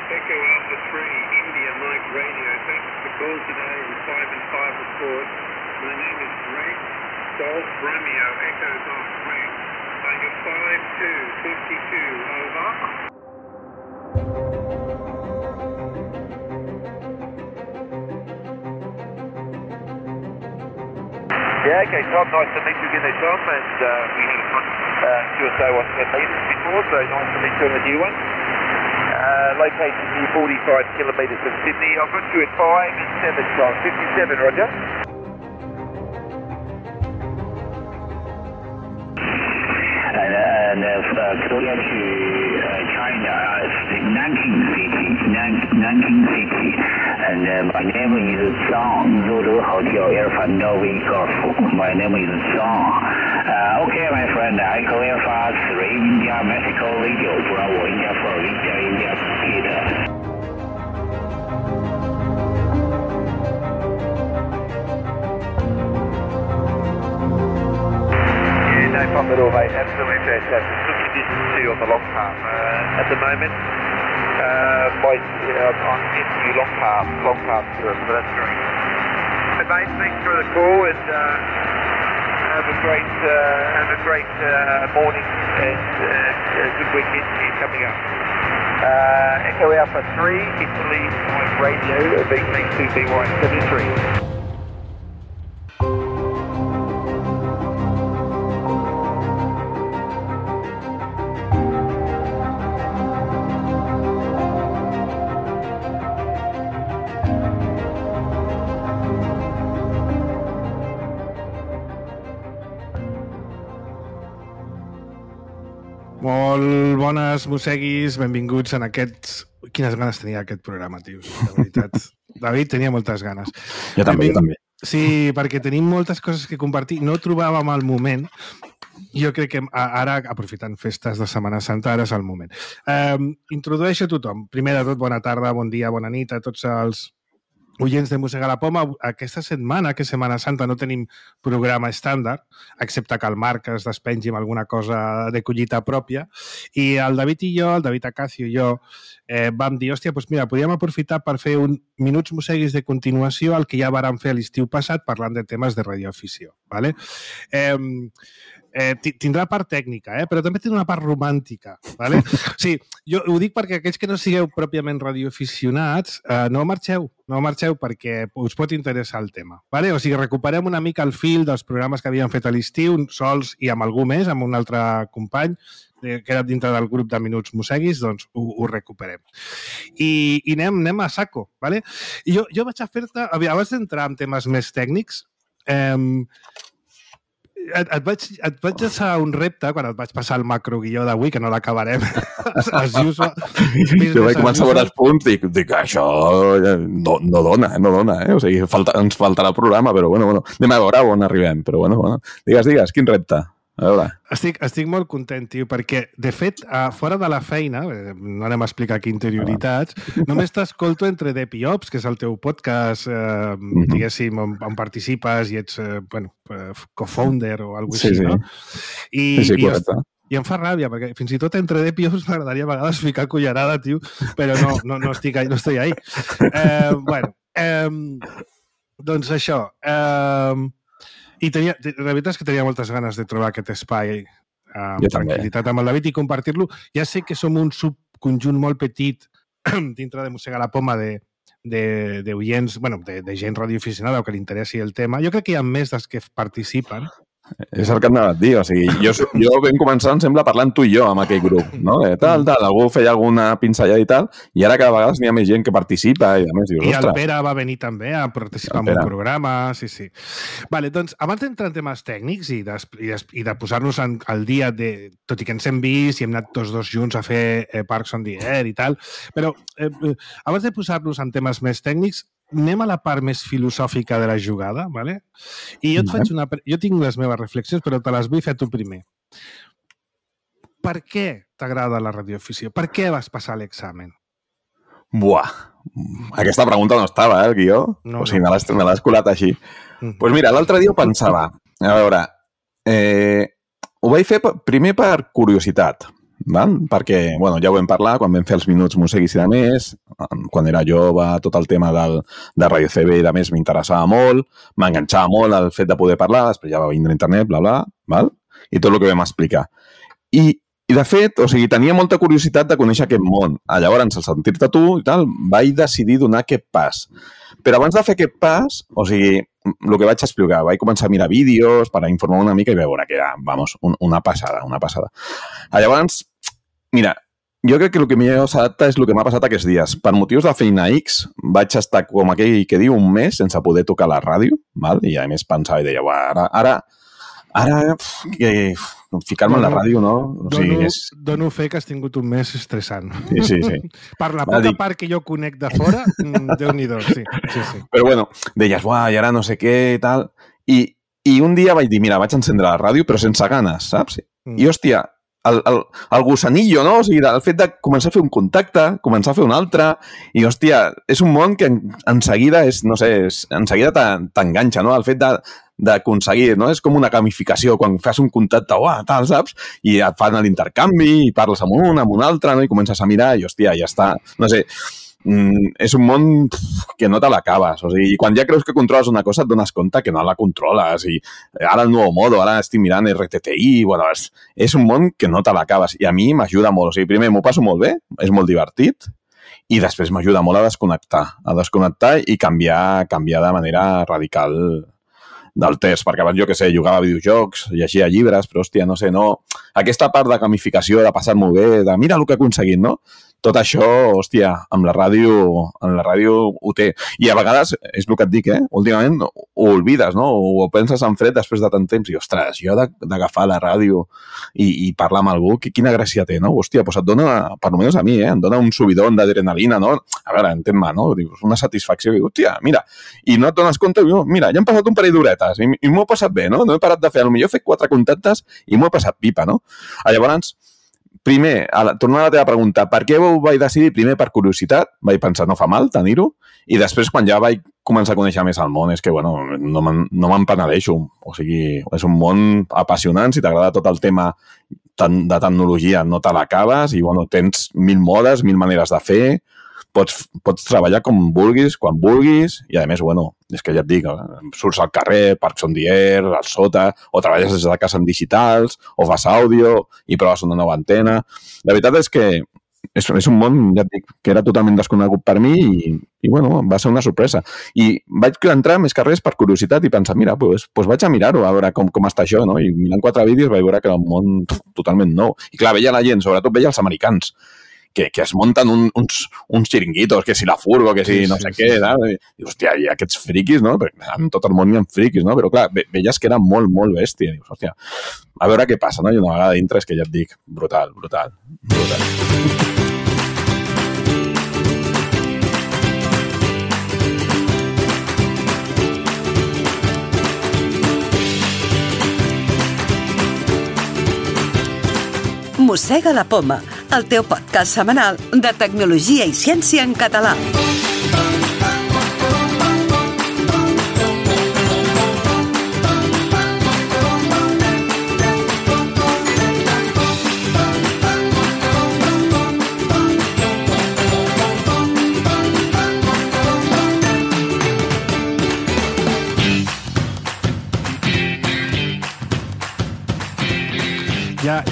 Echo Alpha 3, India Mike Radio. Thanks for the call today on 5 and 5 report. My name is Greg Golf Romeo, Echo Golf Greg. You're 5252, over. Yeah, okay, Tom, nice to meet you again there, Tom, and we had a fun QSO 110 metres before, so nice to meet you on a new one. Located near 45 kilometres from Sydney. I've got you at 5 and 7, Tom. 57, Roger. And Korea to China, Nanking City, and my name is Zhang, Zulu Hotel Alpha Novi Golf. My name is Zhang. Okay, my friend, I clear for 3 India Mexico Radio, Bravo India 4, India Peter. No problem at all, mate. Absolutely fantastic. Good conditions too on the long path at the moment. I'm getting you long path through it, so that's great. Hey, mate, thanks for the call and have a great morning and good weekend coming up. Echo Alpha 3, Italy Mike Radio, VC2BY73. Molt bones, mosseguis, benvinguts en aquests... Quines ganes tenia aquest programa, tios, de veritat. David tenia moltes ganes. Jo també. Sí, perquè tenim moltes coses que compartir. No trobàvem el moment. Jo crec que ara, aprofitant festes de Setmana Santa, ara és el moment. Introdueixo a tothom. Primer de tot, bona tarda, bon dia, bona nit a tots els oients de Mossega la Poma. Aquesta setmana, que és Setmana Santa, no tenim programa estàndard, excepte que el Marc es despengi amb alguna cosa de collita pròpia. I el David i jo, el David Acacio i jo, vam dir, hòstia, doncs mira, podríem aprofitar per fer un minuts mosseguis de continuació al que ja vàrem fer l'estiu passat parlant de temes de radioafició. ¿Vale? Tindrà part tècnica, però també té una part romàntica. ¿Vale? Sí, jo ho dic perquè aquells que no sigueu pròpiament radioaficionats, no marxeu perquè us pot interessar el tema. ¿Vale? O sigui, recuperem una mica el fil dels programes que havíem fet a l'estiu, sols i amb algú més, amb un altre company, que era dintre del grup de Minuts Mosseguis, doncs ho recuperem. I anem a saco. ¿Vale? I jo vaig a fer-te, abans d'entrar en temes més tècnics, et vaig deixar un repte quan et vaig passar el macroguió d'avui, que no l'acabarem. Jo vaig començar a veure els punts i dic, això no dona. O sigui, ens faltarà el programa, però bueno, anem a veure on arribem. Però bueno. Digues, quin repte? A veure. Estic molt content, tio, perquè, de fet, fora de la feina, no anem a explicar aquí interioritats, només t'escolto entre Dep i Ops, que és el teu podcast, diguéssim, on participes i ets, co-founder o alguna cosa així, no? Sí, correcte. I em fa ràbia, perquè fins i tot entre Dep i Ops m'agradaria a vegades ficar cullerada, tio, però no estic ahí. Doncs això... I la veritat és que tenia moltes ganes de trobar aquest espai amb tranquil·litat amb el David i compartir-lo. Ja sé que som un subconjunt molt petit dintre de Mossega la Poma d'oients, de gent radioaficionada o que li interessi el tema. Jo crec que hi ha més dels que participen. És el que anava a dir, o sigui, jo vam començar, em sembla, parlant tu i jo amb aquell grup, no? Tal, algú feia alguna pinzellada i tal, i ara cada vegada n'hi ha més gent que participa i a més dius, ostres. I el Pere va venir també a participar en un programa, sí. Vale, doncs, abans d'entrar en temes tècnics i de posar-nos al dia, tot i que ens hem vist i hem anat tots dos junts a fer Parks on the Air i tal, però abans de posar-nos en temes més tècnics, anem a la part més filosòfica de la jugada, ¿vale? I jo tinc les meves reflexions, però te les vull fer tu primer. Per què t'agrada la radioafició? Per què vas passar l'examen? Buah, aquesta pregunta no estava, el guió. O sigui, me l'has colat així. Doncs mira, l'altre dia ho pensava. A veure, ho vaig fer primer per curiositat, val? Perquè, bueno, ja ho vam parlar, quan vam fer els minuts Museguis i de més, quan era jove, tot el tema de Radio CB i de més m'interessava molt, m'enganxava molt el fet de poder parlar, després ja va vindre internet, bla, bla, val? I tot el que vam explicar. I de fet, o sigui, tenia molta curiositat de conèixer aquest món. Llavors, al sentir-te tu i tal, vaig decidir donar aquest pas. Però abans de fer aquest pas, o sigui, el que vaig explicar, vaig començar a mirar vídeos per informar una mica i veure que era, vamos, una passada, una passada. Llavors, mira, jo crec que el que millor s'adapta és el que m'ha passat aquests dies. Per motius de feina X, vaig estar com aquell que diu un mes sense poder tocar la ràdio, val? I a més pensava i deia, ara que ficar-me en la ràdio, no? O sigui, dono fe que has tingut un mes estressant. Sí. Per la poca part que jo conec de fora, Déu-n'hi-do, sí. Però bueno, deies, i ara no sé què i tal. I un dia vaig dir, mira, vaig encendre la ràdio, però sense ganes, saps? I, hòstia, el gossanillo, no? O sigui, el fet de començar a fer un contacte, començar a fer un altre, i, hòstia, és un món que en seguida t'enganxa, no? El fet d'aconseguir, no? És com una gamificació, quan fas un contacte, tal, saps? I et fan l'intercanvi, i parles amb un altre, no? I comences a mirar, i, hòstia, ja està. No sé, és un món que no te l'acabes. O sigui, quan ja creus que controles una cosa, et dones compte que no la controles. I ara el nou modo, ara estic mirant RTTI, bueno, és un món que no te l'acabes. I a mi m'ajuda molt. O sigui, primer m'ho passo molt bé, és molt divertit, i després m'ajuda molt a desconnectar i canviar de manera radical del test, perquè abans, jo què sé, jugava a videojocs, llegia llibres, però, hòstia, no sé, no... Aquesta part de gamificació, de passar-m'ho bé, de mira el que he aconseguit, no? Tot això, hòstia, amb la ràdio ho té. I a vegades, és el que et dic, últimament ho oblides, no? O penses en fred després de tant temps i, ostres, jo d'agafar la ràdio i parlar amb algú, quina gràcia té, no? Hòstia, doncs et dona, per almenys a mi, em dona un subidon d'adrenalina, no? A veure, entén-me, no? Dius, una satisfacció, i hòstia, mira, i no et dones compte, mira, ja han passat un parell d'horetes i m'ho he passat bé, no? No he parat de fer, potser he fet 4 contactes i m'ho he passat pipa, no? Llavors, primer, tornant a la teva pregunta, per què ho vaig decidir? Primer, per curiositat, vaig pensar, no fa mal tenir-ho, i després, quan ja vaig començar a conèixer més el món, és que, bueno, no me'n penedeixo. O sigui, és un món apassionant, si t'agrada tot el tema de tecnologia, no te l'acabes, i, bueno, tens 1000 modes, 1000 maneres de fer, pots treballar com vulguis, quan vulguis, i a més, bueno, és que ja et dic, surts al carrer, Parcs on the Air, al sota, o treballes des de casa en digitals, o fas àudio i proves una nova antena. La veritat és que és un món, ja et dic, que era totalment desconegut per mi i bueno, va ser una sorpresa. I vaig entrar més que res per curiositat i pensar, mira, doncs vaig a mirar-ho, a veure com està això, no? I mirant 4 vídeos vaig veure que era un món totalment nou. I clar, veia la gent, sobretot veia els americans, que es munten uns xiringuitos, que si la furgo, que si no sé què, i hòstia, i aquests friquis, no? En tot el món hi ha friquis, no? Però clar, veies que era molt, molt bèstia. Dius, hòstia, a veure què passa, no? I una vegada dintre és que ja et dic, brutal. Mossega la Poma, el teu podcast setmanal de tecnologia i ciència en català.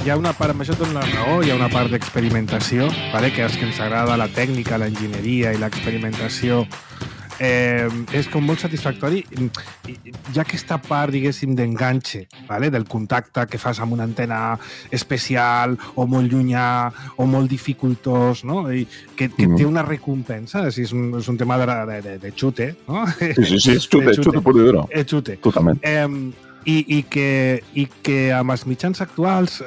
Hi ha una part, amb això et dono la raó, hi ha una part d'experimentació, vale? Que és que ens agrada la tècnica, l'enginyeria i l'experimentació. És com molt satisfactori. Hi ha aquesta part, diguéssim, d'enganxe, vale? Del contacte que fas amb una antena especial o molt llunyà o molt dificultós, no? I que té una recompensa, és un tema de xute, no? Sí, és xute puro i duro. És xute. Totalment. I que amb els mitjans actuals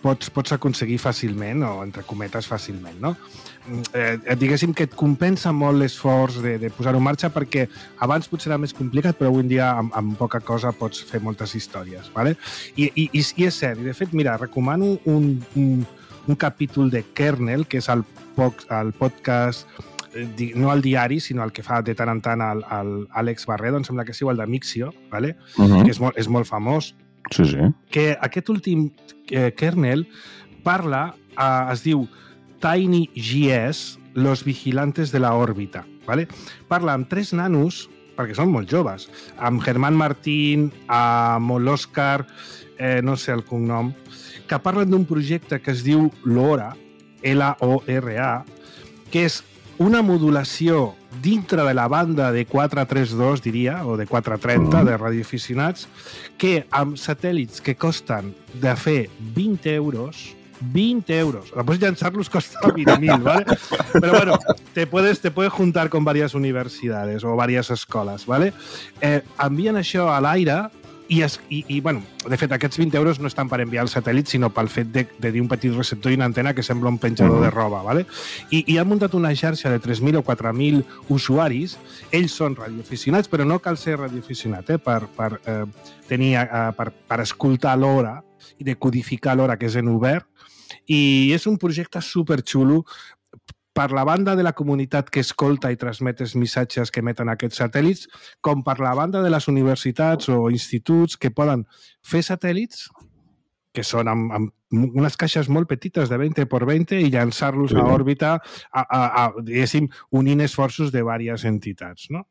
pots aconseguir fàcilment, o entre cometes fàcilment, no? Diguéssim que et compensa molt l'esforç de posar-ho en marxa, perquè abans potser era més complicat, però avui en dia amb poca cosa pots fer moltes històries, ¿vale? I és cert, i de fet, mira, recomano un capítol de Kernel, que és el podcast, no el diari, sinó el que fa de tant en tant l'Àlex Barredo, em sembla que sí, o el de Mixio, ¿vale? Que és molt famós. Sí. Que aquest últim Kernel parla es diu Tiny GS, Los Vigilantes de la Òrbita. ¿Vale? Parla amb 3 nanos, perquè són molt joves, amb Germán Martín, amb l'Òscar, no sé el cognom, que parlen d'un projecte que es diu LORA, L-O-R-A, que és una modulació dintre de la banda de 432, diria, o de 430, de radioaficionats, que amb satèl·lits que costen de fer 20 euros, después llançar-los costa 20.000, ¿vale? Pero bueno, te puedes juntar con varias universidades o varias escoles, ¿vale? Envien això a l'aire i, bueno, de fet, aquests 20 euros no estan per enviar el satèl·lit, sinó pel fet de dir un petit receptor i una antena que sembla un penjador de roba, ¿vale? I han muntat una xarxa de 3.000 o 4.000 usuaris. Ells són radioaficionats, però no cal ser radioaficionat per escoltar l'hora i de codificar l'hora, que és en obert. I és un projecte superxulo per la banda de la comunitat que escolta i transmet els missatges que emeten aquests satèl·lits, com per la banda de les universitats o instituts que poden fer satèl·lits, que són amb unes caixes molt petites de 20 por 20 i llançar-los a òrbita, diguéssim, unint esforços de diverses entitats, no?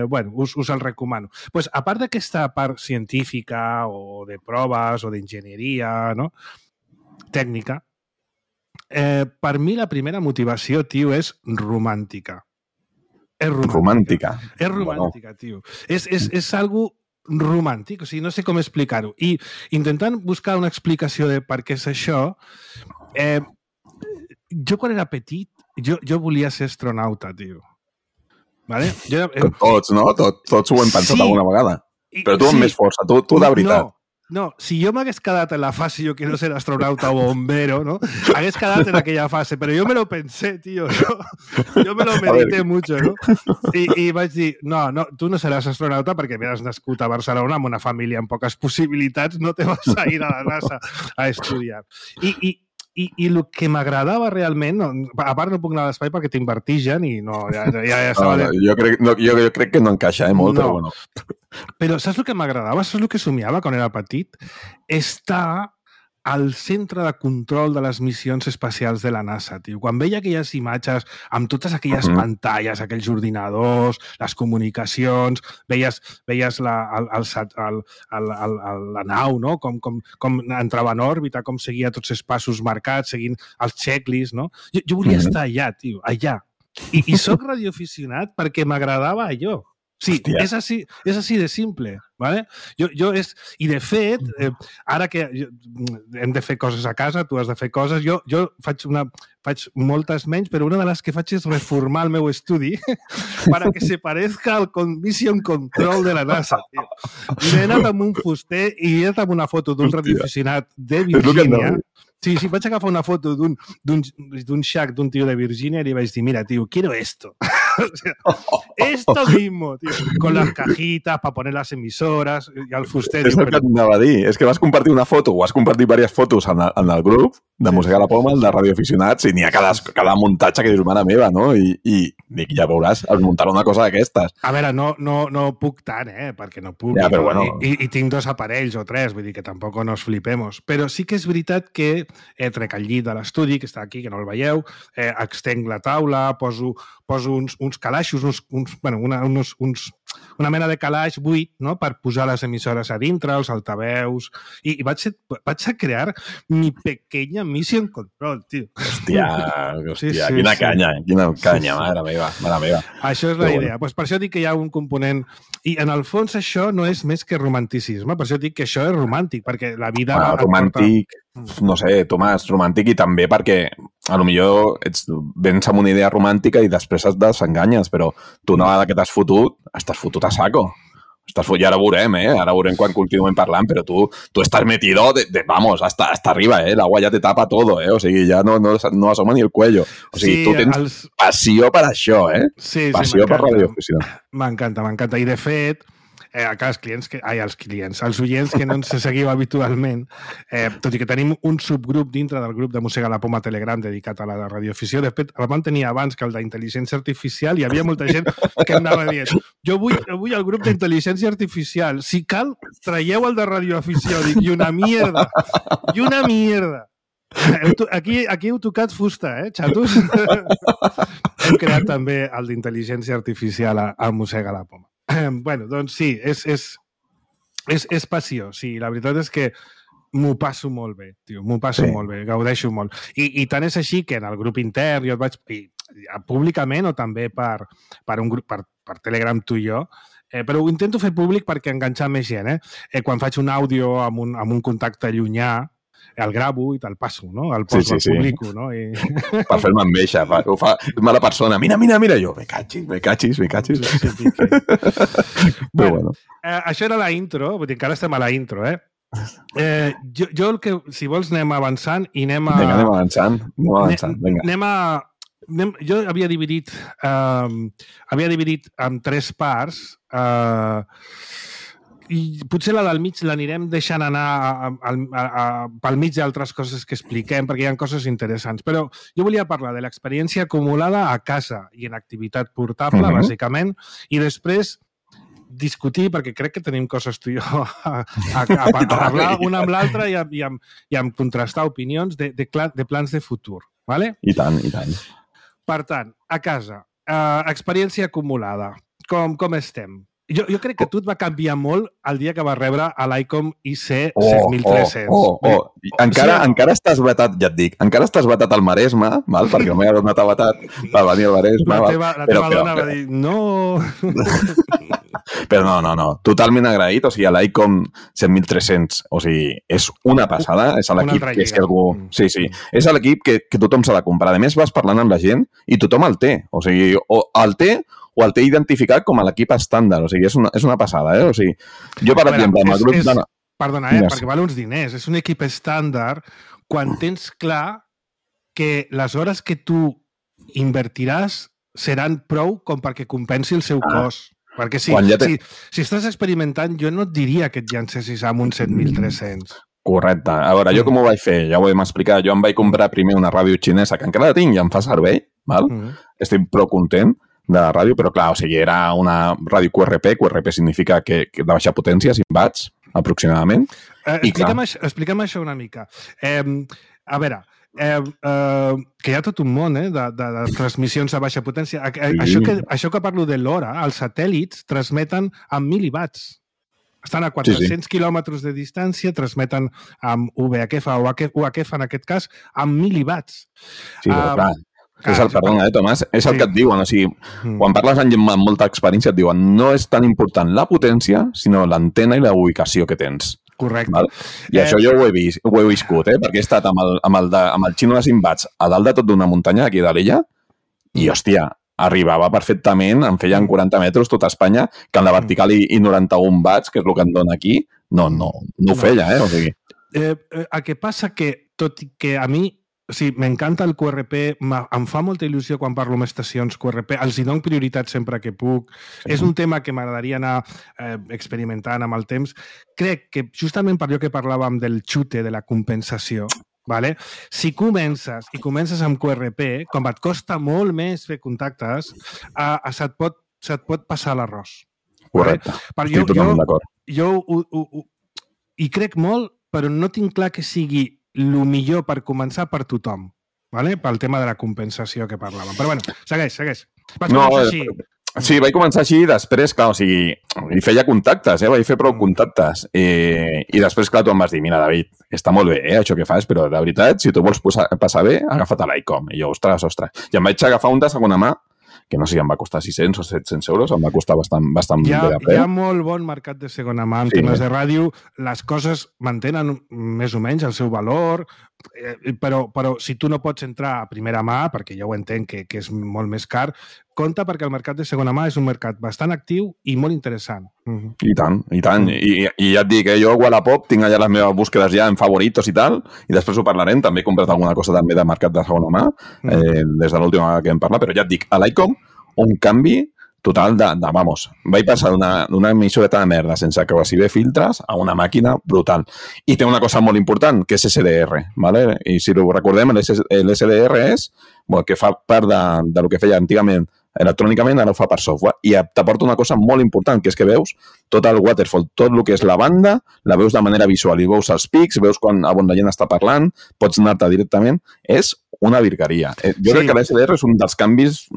Bueno, us el recomano. Pues, a part d'aquesta part científica o de proves o d'enginyeria, no? Tècnica, per mi la primera motivació, tio, és romàntica. És romàntica. És romàntica, tio. És algo romàntic, o sigui, no sé com explicar-ho. I intentant buscar una explicació de per què és això, jo quan era petit, jo volia ser astronauta, tio. Vale? Tots, no? Tots ho hem pensat alguna vegada. Però tu amb més força, tu de veritat. No, si jo m'hagués quedat en la fase yo quiero ser astronauta o bombero, ¿no? Hagués quedat en aquella fase, pero yo me lo pensé, tío. Yo me lo medité mucho, ¿no? I vaig dir, no, tu no seràs astronauta perquè has nascut a Barcelona amb una família amb poques possibilitats, no te vas a ir a la NASA a estudiar. I el que m'agradava realment, a part no puc anar a l'espai perquè tinc vertigen i no, ja estava... Jo crec que no encaixa molt, però bueno. Però saps el que m'agradava? Saps el que somiava quan era petit? Estar al centre de control de les missions espacials de la NASA, tio. Quan veia aquelles imatges amb totes aquelles pantalles, aquells ordinadors, les comunicacions, veies la nau, no? Com entrava en òrbita, com seguia tots els passos marcats, seguint els checklists, no? Jo volia estar allà, tio, allà. I soc radioaficionat perquè m'agradava allò. Sí, és així de simple, ¿vale? I de fet, ara que hem de fer coses a casa, tu has de fer coses, jo faig moltes menys, però una de les que faig és reformar el meu estudi para que se parezca al Mission Control de la NASA, tio. I he anat amb un fuster i he anat amb una foto d'un radioaficionat de Virgínia. Sí, vaig agafar una foto d'un shack d'un tio de Virgínia i li vaig dir, mira, tio, quiero esto. O sea, esto mismo, tío, con las cajitas para poner las emisoras y al fuster. És el que t'anava a dir. És que vas compartir una foto o has compartit diverses fotos en el grup de Música a la Poma, el de radioaficionats, i n'hi ha cada muntatge que dius, mare meva, no? I dic, ja veuràs, al muntar una cosa d'aquestes. A veure, no puc tant, perquè no puc. Ja, però bueno. I tinc 2 aparells o 3, vull dir que tampoc nos flipemos. Però sí que és veritat que trec el llit de l'estudi, que està aquí, que no el veieu, extenc la taula, poso uns calaixos, una mena de calaix buit, no?, per posar les emissores a dintre, els altaveus, i vaig a crear mi pequeña Mission Control, tio. Hòstia, quina canya, mare meva. Això és la idea. Pues per això dic que hi ha un component... I en el fons això no és més que romanticisme, per això dic que això és romàntic, perquè la vida... Romàntic, no sé, Tomàs, romàntic, i també perquè potser vens amb una idea romàntica i després et desenganyes, però tu una vegada que t'has fotut, estàs fotut a saco. I ara veurem, ara veurem quan continuem parlant, però tu estàs metido, vamos, hasta arriba, el agua ya te tapa todo, o sigui, ja no asoma ni el cuello. O sigui, tu tens passió per això, Sí, passió per radioafició. M'encanta. I de fet, els oients que no ens seguiu habitualment, tot i que tenim un subgrup dintre del grup de Música a la Poma Telegram dedicat a la radioafició, de fet, el vam tenir abans que el d'intel·ligència artificial i hi havia molta gent que anava dient jo vull el grup d'intel·ligència artificial, si cal, traieu el de radioafició, dic, i una mierda. Aquí heu tocat fusta, xatos? Hem creat també el d'intel·ligència artificial a Mossega la Poma. Bueno, doncs sí, és passió. Sí, la veritat és que m'ho passo molt bé, tio. M'ho passo molt bé, gaudeixo molt. I tant és així que en el grup intern jo et vaig... públicament o també per un grup, per Telegram tu i jo, però ho intento fer públic perquè enganxar més gent. Quan faig un àudio amb un contacte llunyà, el gravo i te'l passo, no? El poso, el publico, no? I... Per fer-me enveja, ho fa mala persona. Mira, jo, me cachis. Sí. Bueno, això era la intro, vull dir, encara estem a la intro, jo el que, si vols, anem avançant i anem avançant, vinga. Jo havia dividit en 3 parts i potser la del mig l'anirem deixant anar pel mig d'altres coses que expliquem, perquè hi ha coses interessants. Però jo volia parlar de l'experiència acumulada a casa i en activitat portable, bàsicament, i després discutir, perquè crec que tenim coses tu i jo a parlar una amb l'altra i a contrastar opinions de plans de futur. ¿Vale? I tant. Per tant, a casa, experiència acumulada. Com estem? Jo crec que tu et va canviar molt el dia que vas rebre a l'ICOM IC 7300. Encara estàs vetat, ja et dic, encara estàs vetat al Maresme, val? Perquè el meu dona t'ha vetat per venir al Maresme. La teva dona va dir, no... Però no, totalment agraït, o sigui, a l'ICOM 7300, o sigui, és una passada, és l'equip que és que algú... Sí, és l'equip que tothom s'ha de comprar. A més, vas parlant amb la gent i tothom el té, o sigui, o el té identificat com a l'equip estàndard. O sigui, és una passada, O sigui, jo, per exemple, amb el grup... Perdona, perquè val uns diners. És un equip estàndard quan tens clar que les hores que tu invertiràs seran prou com perquè compensi el seu cost. Perquè si estàs experimentant, jo no et diria que et llancessis amb un 7300. Correcte. A veure, jo com ho vaig fer? Ja ho hem explicat. Jo em vaig comprar primer una ràdio xinesa, que encara la tinc i em fa servei, val? Estic prou content de la ràdio, però clar, o sigui, era una ràdio QRP significa que de baixa potència, 5 watts, aproximadament. Explica'm això una mica. A veure, que hi ha tot un món de transmissions a baixa potència. Això que parlo de l'hora, els satèl·lits transmeten amb mil·liwatts. Estan a 400 quilòmetres de distància, transmeten amb VHF o UHF, en aquest cas, amb mil·liwatts. Sí, però clar. Perdona, Tomàs, és el que et diuen. O sigui, quan parles amb gent amb molta experiència, et diuen no és tan important la potència, sinó l'antena i la ubicació que tens. Correcte. Val? I això jo ho he viscut, perquè he estat amb el xino de 5 watts a dalt de tot d'una muntanya aquí de l'illa i, hòstia, arribava perfectament, em feien 40 metres tota Espanya, que en la vertical i 91 watts, que és el que em dona aquí, no ho feia, O sigui... El que passa que, tot i que a mi sí, m'encanta el QRP, em fa molta il·lusió quan parlo amb estacions QRP, els hi dono prioritat sempre que puc. Sí. És un tema que m'agradaria anar experimentant amb el temps. Crec que justament per allò que parlàvem del xute, de la compensació, vale? Si comences amb QRP, com et costa molt més fer contactes, se't pot passar l'arròs. Correcte, estic totalment d'acord. Jo hi crec molt, però no tinc clar que sigui el millor per començar per tothom, ¿vale? Pel tema de la compensació que parlàvem. Però bueno, segueix. Vaig començar així. Sí, vaig començar així i després, clar, o sigui, hi feia contactes, vaig fer prou contactes. I després, clar, tu em vas dir, mira, David, està molt bé, això que fas, però de veritat, si tu vols passar bé, agafa't a l'ICOM. I jo, ostres. I em vaig agafar un de segona mà, que no sé si em va costar 600 o 700 euros, em va costar bastant bé de preu. Hi ha molt bon mercat de segona mà en temes de ràdio, les coses mantenen més o menys el seu valor, però si tu no pots entrar a primera mà, perquè ja ho entenc que és molt més car, compta perquè el mercat de segona mà és un mercat bastant actiu i molt interessant. I tant. I ja et dic, jo a Wallapop tinc allà les meves búsquedes ja en favoritos i tal, i després ho parlarem, també he comprat alguna cosa també de mercat de segona mà, des de l'última vegada que hem parlat, però ja et dic, a l'ICOM, un canvi total vamos, vaig passar d'una emissora de merda sense que quasi bé filtres a una màquina brutal. I té una cosa molt important, que és SDR, ¿vale? I si ho recordem, l'SDR és que fa part del que feia antigament electrònicament, ara ho fa per software. I t'aporta una cosa molt important, que és que veus tot el waterfall, tot el que és la banda, la veus de manera visual i veus els pics, veus on la gent està parlant, pots anar-te directament. És una virgueria. Jo crec que l'SDR és un dels canvis,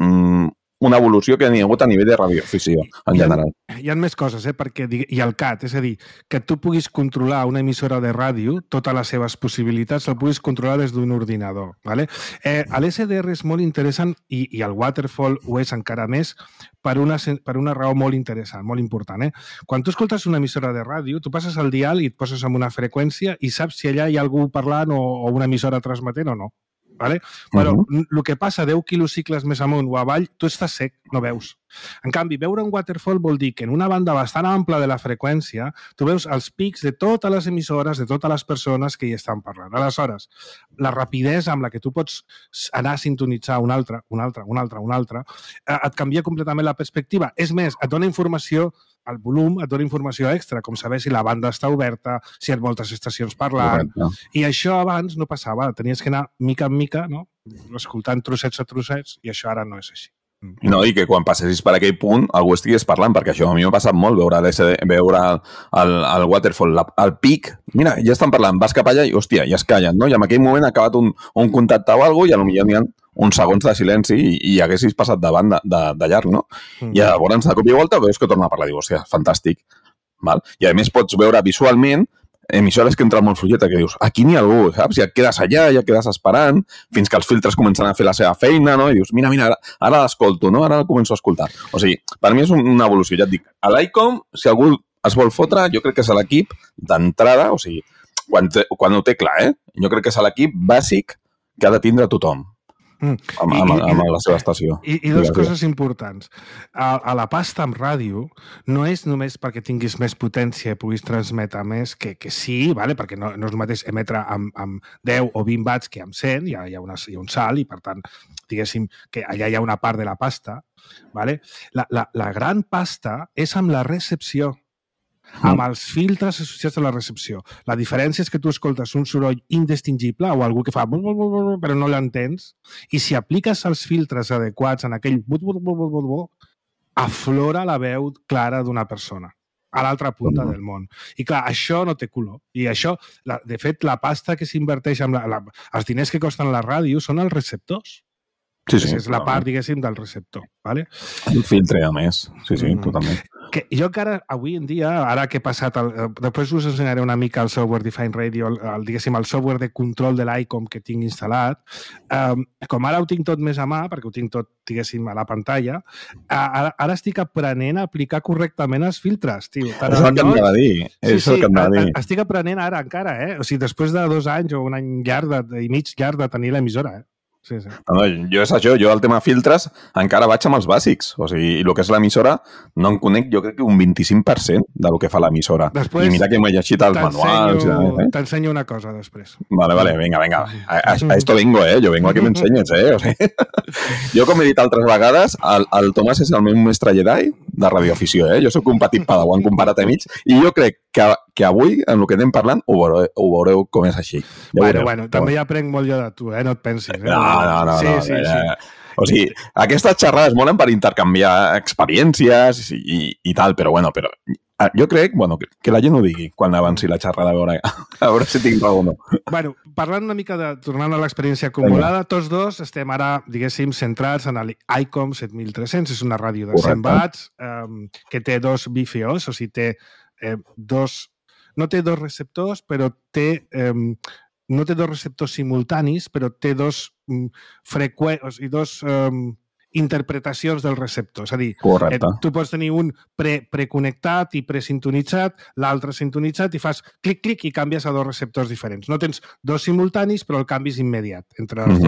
una evolució que n'hi ha hagut a nivell de radioafició, en general. Hi ha més coses, perquè i el CAT, és a dir, que tu puguis controlar una emissora de ràdio, totes les seves possibilitats, el puguis controlar des d'un ordinador. ¿Vale? L'SDR és molt interessant i el Waterfall ho és encara més per una raó molt interessant, molt important. Quan tu escoltes una emissora de ràdio, tu passes el dial i et poses en una freqüència i saps si allà hi ha algú parlant o una emissora transmetent o no. ¿Vale? Però el que passa 10 quilocicles més amunt o avall, tu estàs sec, no veus. En canvi, veure un waterfall vol dir que en una banda bastant ampla de la freqüència tu veus els pics de totes les emissores, de totes les persones que hi estan parlant. Aleshores, la rapidesa amb la que tu pots anar a sintonitzar una altra, et canvia completament la perspectiva. És més, et dona informació, el volum et dona informació extra, com saber si la banda està oberta, si hi ha moltes estacions parlant. I això abans no passava. Tenies que anar mica en mica, no? Escoltant trossets a trossets, i això ara no és així. No, i que quan passessis per aquell punt algú estigués parlant, perquè això a mi m'ha passat molt, veure el waterfall, el pic, mira, ja estan parlant, vas cap allà i, hòstia, ja es callen, no? I en aquell moment ha acabat un contacte o alguna cosa i potser n'hi ha uns segons de silenci i haguessis passat de llarg, no? I llavors, de cop i volta, veus que torna a parlar, dius, hòstia, fantàstic. I a més pots veure visualment emissores que entren molt fluixeta, que dius, aquí n'hi ha algú, saps? Ja et quedes allà, ja et quedes esperant, fins que els filtres comencen a fer la seva feina, no? I dius, mira, ara l'escolto, no? Ara el començo a escoltar. O sigui, per mi és una evolució, ja et dic. A l'ICOM, si algú es vol fotre, jo crec que és l'equip d'entrada, o sigui, quan ho té clar, jo crec que és l'equip bàsic que ha de tindre tothom. Amb la seva estació. I dues coses importants. A la pasta amb ràdio no és només perquè tinguis més potència i puguis transmetre més, que sí, vale? Perquè no és el mateix emetre amb 10 o 20 watts que amb 100, hi ha un salt i, per tant, diguéssim que allà hi ha una part de la pasta. Vale? La gran pasta és amb la recepció, amb els filtres associats a la recepció. La diferència és que tu escoltes un soroll indistingible o algú que fa però no l'entens, i si apliques els filtres adequats en aquell aflora la veu clara d'una persona a l'altra punta del món. I clar, això no té color. I això, de fet, la pasta que s'inverteix amb els diners que costen la ràdio són els receptors. Sí. És la part, diguéssim, del receptor. ¿Vale? El filtre, a més. Sí, totalment. Que jo encara, avui en dia, ara que he passat... Després us ensenyaré una mica el software Define Radio, diguéssim, el software de control de l'ICOM que tinc instal·lat. Com ara ho tinc tot més a mà, perquè ho tinc tot, diguéssim, a la pantalla, ara estic aprenent a aplicar correctament els filtres, tio. És el que em va dir. Estic aprenent ara encara, O sigui, després de 2 anys o un any i mig llarg de tenir l'emissora, Sí. No, jo és això, jo el tema filtres encara vaig amb els bàsics, o sigui, i el que és l'emissora no en conec, jo crec que un 25% del que fa l'emissora. Després, i mira que m'he llegit els manuals. T'ensenyo una cosa després. Vale, venga. A esto vengo, jo vengo a que m'ensenyes, O sigui, jo, com he dit altres vegades, el Tomàs és el meu mestre Jedi de radioafició, Jo soc un petit padawan comparat a mig, i jo crec que avui, en el que anem parlant, ho veureu com és així. Bueno, també ja aprenc molt jo de tu, no et pensis. No. Sí. O sigui, aquestes xerrades molen per intercanviar experiències i tal, però jo crec que la gent ho digui quan avanci la xerrada, a veure si tinc raó o no. Bueno, parlant una mica tornant a l'experiència acumulada, tots dos estem ara, diguéssim, centrats en l'ICOM 7300, és una ràdio de 100 watts que té 2 BFOs, o sigui, té no té 2 receptors, però no té 2 receptors simultanis, però té 2 interpretacions del receptor. És a dir, tu pots tenir un preconnectat i presintonitzat, l'altre sintonitzat, i fas clic-clic i canvies a 2 receptors diferents. No tens 2 simultanis, però el canvi és immediat entre els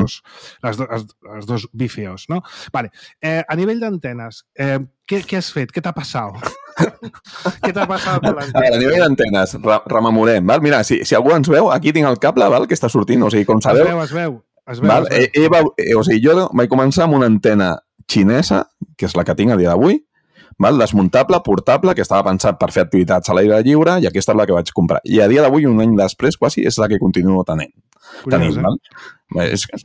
dos BFOs. No? Vale. A nivell d'antenes, què has fet? Què t'ha passat? Què t'ha passat amb l'antena? A nivell d'antenes, rememorem. Val? Mira, si algú ens veu, aquí tinc el cable que està sortint. O sigui, com sabeu... Es veu. O sigui, jo vaig començar amb una antena xinesa, que és la que tinc a dia d'avui, desmuntable, portable, que estava pensat per fer activitats a l'aire lliure, i aquesta és la que vaig comprar. I a dia d'avui, un any després, quasi, és la que continuo tenint. tenim. Val?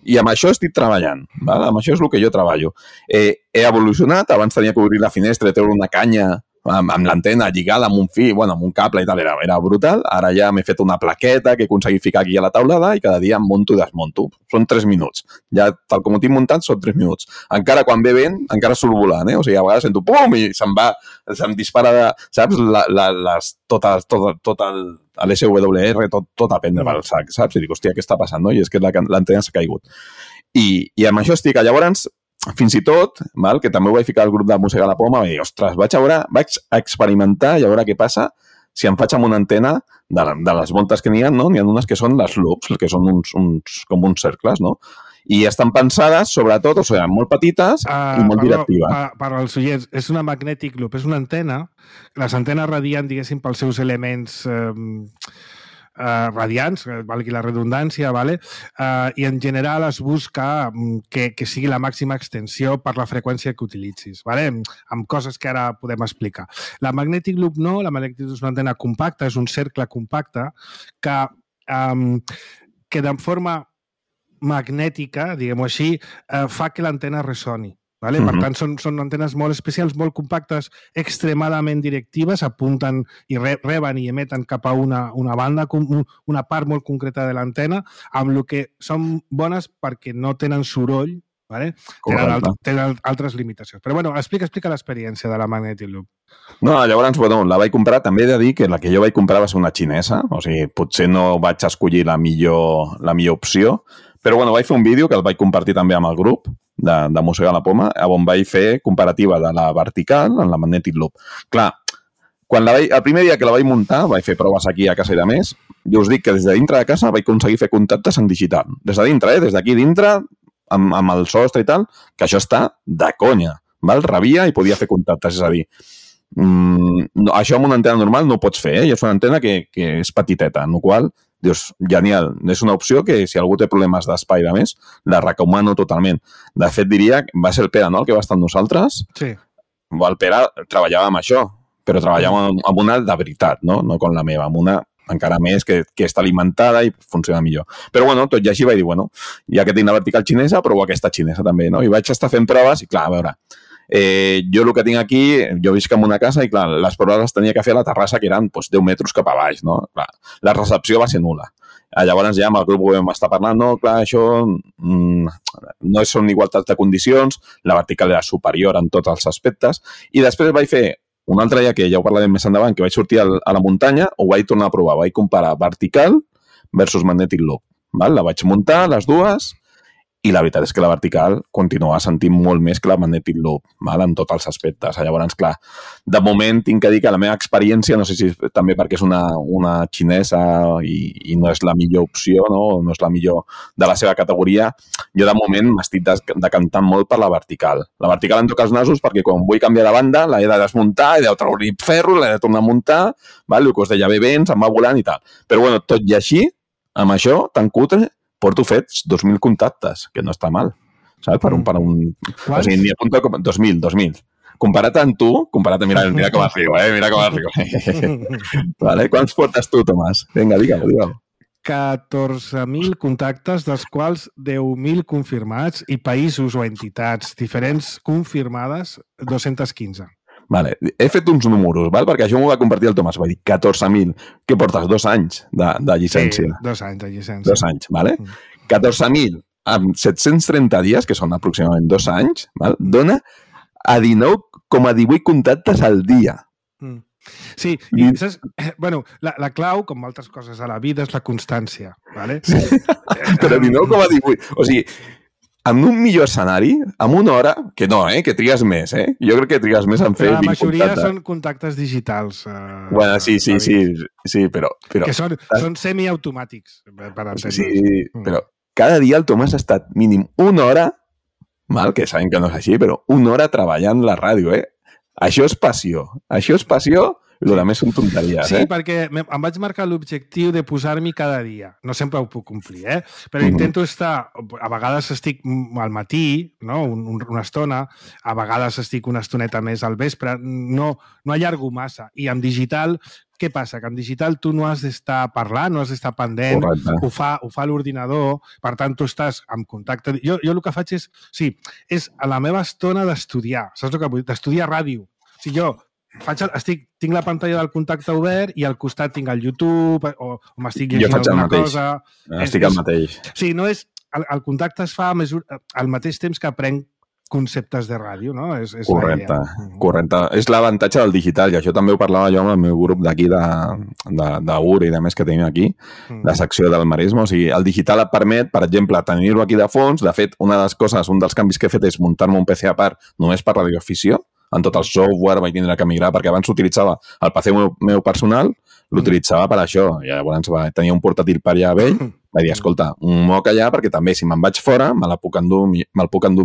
I amb això estic treballant. Val? Amb això és el que jo treballo. He evolucionat, abans tenia que obrir la finestra i treure una canya amb l'antena lligada amb un fil, amb un cable i tal, era brutal. Ara ja m'he fet una plaqueta que he aconseguit ficar aquí a la taulada i cada dia em monto i desmonto. Són 3 minuts. Ja, tal com ho tinc muntat, són 3 minuts. Encara quan ve vent, encara surt volant, O sigui, a vegades sento pum i se'm dispara, saps? Tot l'SWR, tot a prendre pel sac, saps? I dic, hòstia, què està passant, no? I és que l'antena s'ha caigut. I amb això estic. Llavors, fins i tot, val, que també ho vaig ficar al grup de Mossega la Poma, vaig dir, ostres, vaig experimentar i a veure què passa si em faig amb una antena de les voltes que n'hi ha, no? N'hi ha unes que són les loops, que són com uns cercles, no? I estan pensades, sobretot, o sigui, molt petites i molt directives. Per als oients, és una magnetic loop, és una antena. Les antenes radien, diguéssim, pels seus elements radiants, valgui la redundància, vale? I en general es busca que sigui la màxima extensió per la freqüència que utilitzis, vale? Amb coses que ara podem explicar. La magnetic loop no, la magnetic loop és una antena compacta, és un cercle compacte que de forma magnètica, diguem-ho així, fa que l'antena ressoni. Vale? Per tant, són antenes molt especials, molt compactes, extremadament directives, apunten i reben i emeten cap a una banda, una part molt concreta de l'antena, amb el que són bones perquè no tenen soroll, vale? Tenen altres limitacions. Però bueno, explica l'experiència de la Magnetic Loop. No, llavors, la vaig comprar, també he de dir que la que jo vaig comprar va ser una xinesa, o sigui, potser no vaig escollir la millor opció, però vaig fer un vídeo que el vaig compartir també amb el grup de Mossegar la Poma, on vaig fer comparativa de la vertical en la Magnetic Loop. Clar, el primer dia que la vaig muntar, vaig fer proves aquí a casa i de més, jo us dic que des de dintre de casa vaig aconseguir fer contactes en digital. Des de dintre, des d'aquí dintre, amb el sostre i tal, que això està de conya. Val? Rebia i podia fer contactes, és a dir, això amb una antena normal no ho pots fer, i és una antena que és petiteta, en la qual dius, genial, és una opció que si algú té problemes d'espai de més, la recomano totalment. De fet, diria, va ser el Pere, no?, el que va estar amb nosaltres. Sí. El Pere treballava amb això, però treballava amb una de veritat, no com la meva, amb una encara més que està alimentada i funciona millor. Però, tot i així vaig dir, ja que tinc la vertical xinesa, provo aquesta xinesa també, no? I vaig estar fent proves i, clar, a veure, jo el que tinc aquí, jo visc en una casa i, clar, les proves les tenia que fer a la terrassa, que eren 10 metres cap a baix, no? Clar, la recepció va ser nul·la. Llavors ja amb el grup ho vam estar parlant, no, clar, això no són igualtat de condicions, la vertical era superior en tots els aspectes, i després vaig fer un altre dia, que ja ho parlarem més endavant, que vaig sortir a la muntanya, ho vaig tornar a provar, vaig comparar vertical versus Magnetic Loop. La vaig muntar, les dues, i la veritat és que la vertical continua sentint molt més que la Magnetic Loop, en tots els aspectes. Llavors, clar, de moment tinc que dir que la meva experiència, no sé si també perquè és una xinesa i no és la millor opció, no és la millor de la seva categoria, jo de moment m'estic decantant molt per la vertical. La vertical em toca els nasos perquè quan vull canviar de banda l'he de desmuntar, he de treure ferro, l'he de tornar a muntar, el que us deia, ve vents, em va volant i tal. Però, tot i així, amb això, tan cutre, porto fets 2.000 contactes, que no està mal, saps? Per un... O sigui, n'hi apunta com 2.000. Comparat amb tu, mira com arribo, mira com arribo. Vale? Quants portes tu, Tomàs? Vinga, digue-ho. 14.000 contactes, dels quals 10.000 confirmats, i països o entitats diferents confirmades, 215. Vale. He fet uns números, perquè això m'ho va compartir el Tomàs. Va dir 14.000. Què portes? 2 anys de llicència? Sí, 2 anys de llicència. 2 anys, vale? 14.000 amb 730 dies, que són aproximadament 2 anys, dona a 19,18 contactes al dia. Sí, i saps? La clau, com altres coses a la vida, és la constància, vale? Sí. Però 19,18. O sigui, en un millor escenari, en una hora, que no, que trigues més, Jo crec que trigues més en fer 20 contactes. La majoria són contactes digitals. Sí, però... Que són semiautomàtics, per entendre. Sí, però cada dia el Tomàs ha estat mínim una hora, que sabem que no és així, però una hora treballant la ràdio, Això és passió. Això és passió I el més són tonteries, Sí, perquè em vaig marcar l'objectiu de posar-m'hi cada dia. No sempre ho puc complir, però intento estar... A vegades estic al matí, no? Una estona, a vegades estic una estoneta més al vespre, no allargo massa. I en digital... Què passa? Que en digital tu no has d'estar parlant, no has d'estar pendent, ho fa l'ordinador, per tant, tu estàs en contacte... Jo el que faig és... Sí, és a la meva estona d'estudiar, saps el que vull dir? D'estudiar ràdio. O sigui, jo tinc la pantalla del contacte obert i al costat tinc el YouTube o m'estic llegint alguna cosa... Estic al mateix. Sí, no és... El contacte es fa al mateix temps que aprenc conceptes de ràdio, no? És correcte. És l'avantatge del digital, i això també ho parlava jo amb el meu grup d'aquí d'UR i de més que tenim aquí, la secció del Maresme. O sigui, el digital et permet, per exemple, tenir-ho aquí de fons. De fet, un dels canvis que he fet és muntar-me un PC a part només per radioafició. En tot el software vaig tindre que migrar, perquè abans s'utilitzava el PC meu personal, l'utilitzava per això. I llavors tenia un portàtil per allà vell, vaig dir, escolta, un moc allà, perquè també si me'n vaig fora me'l puc endur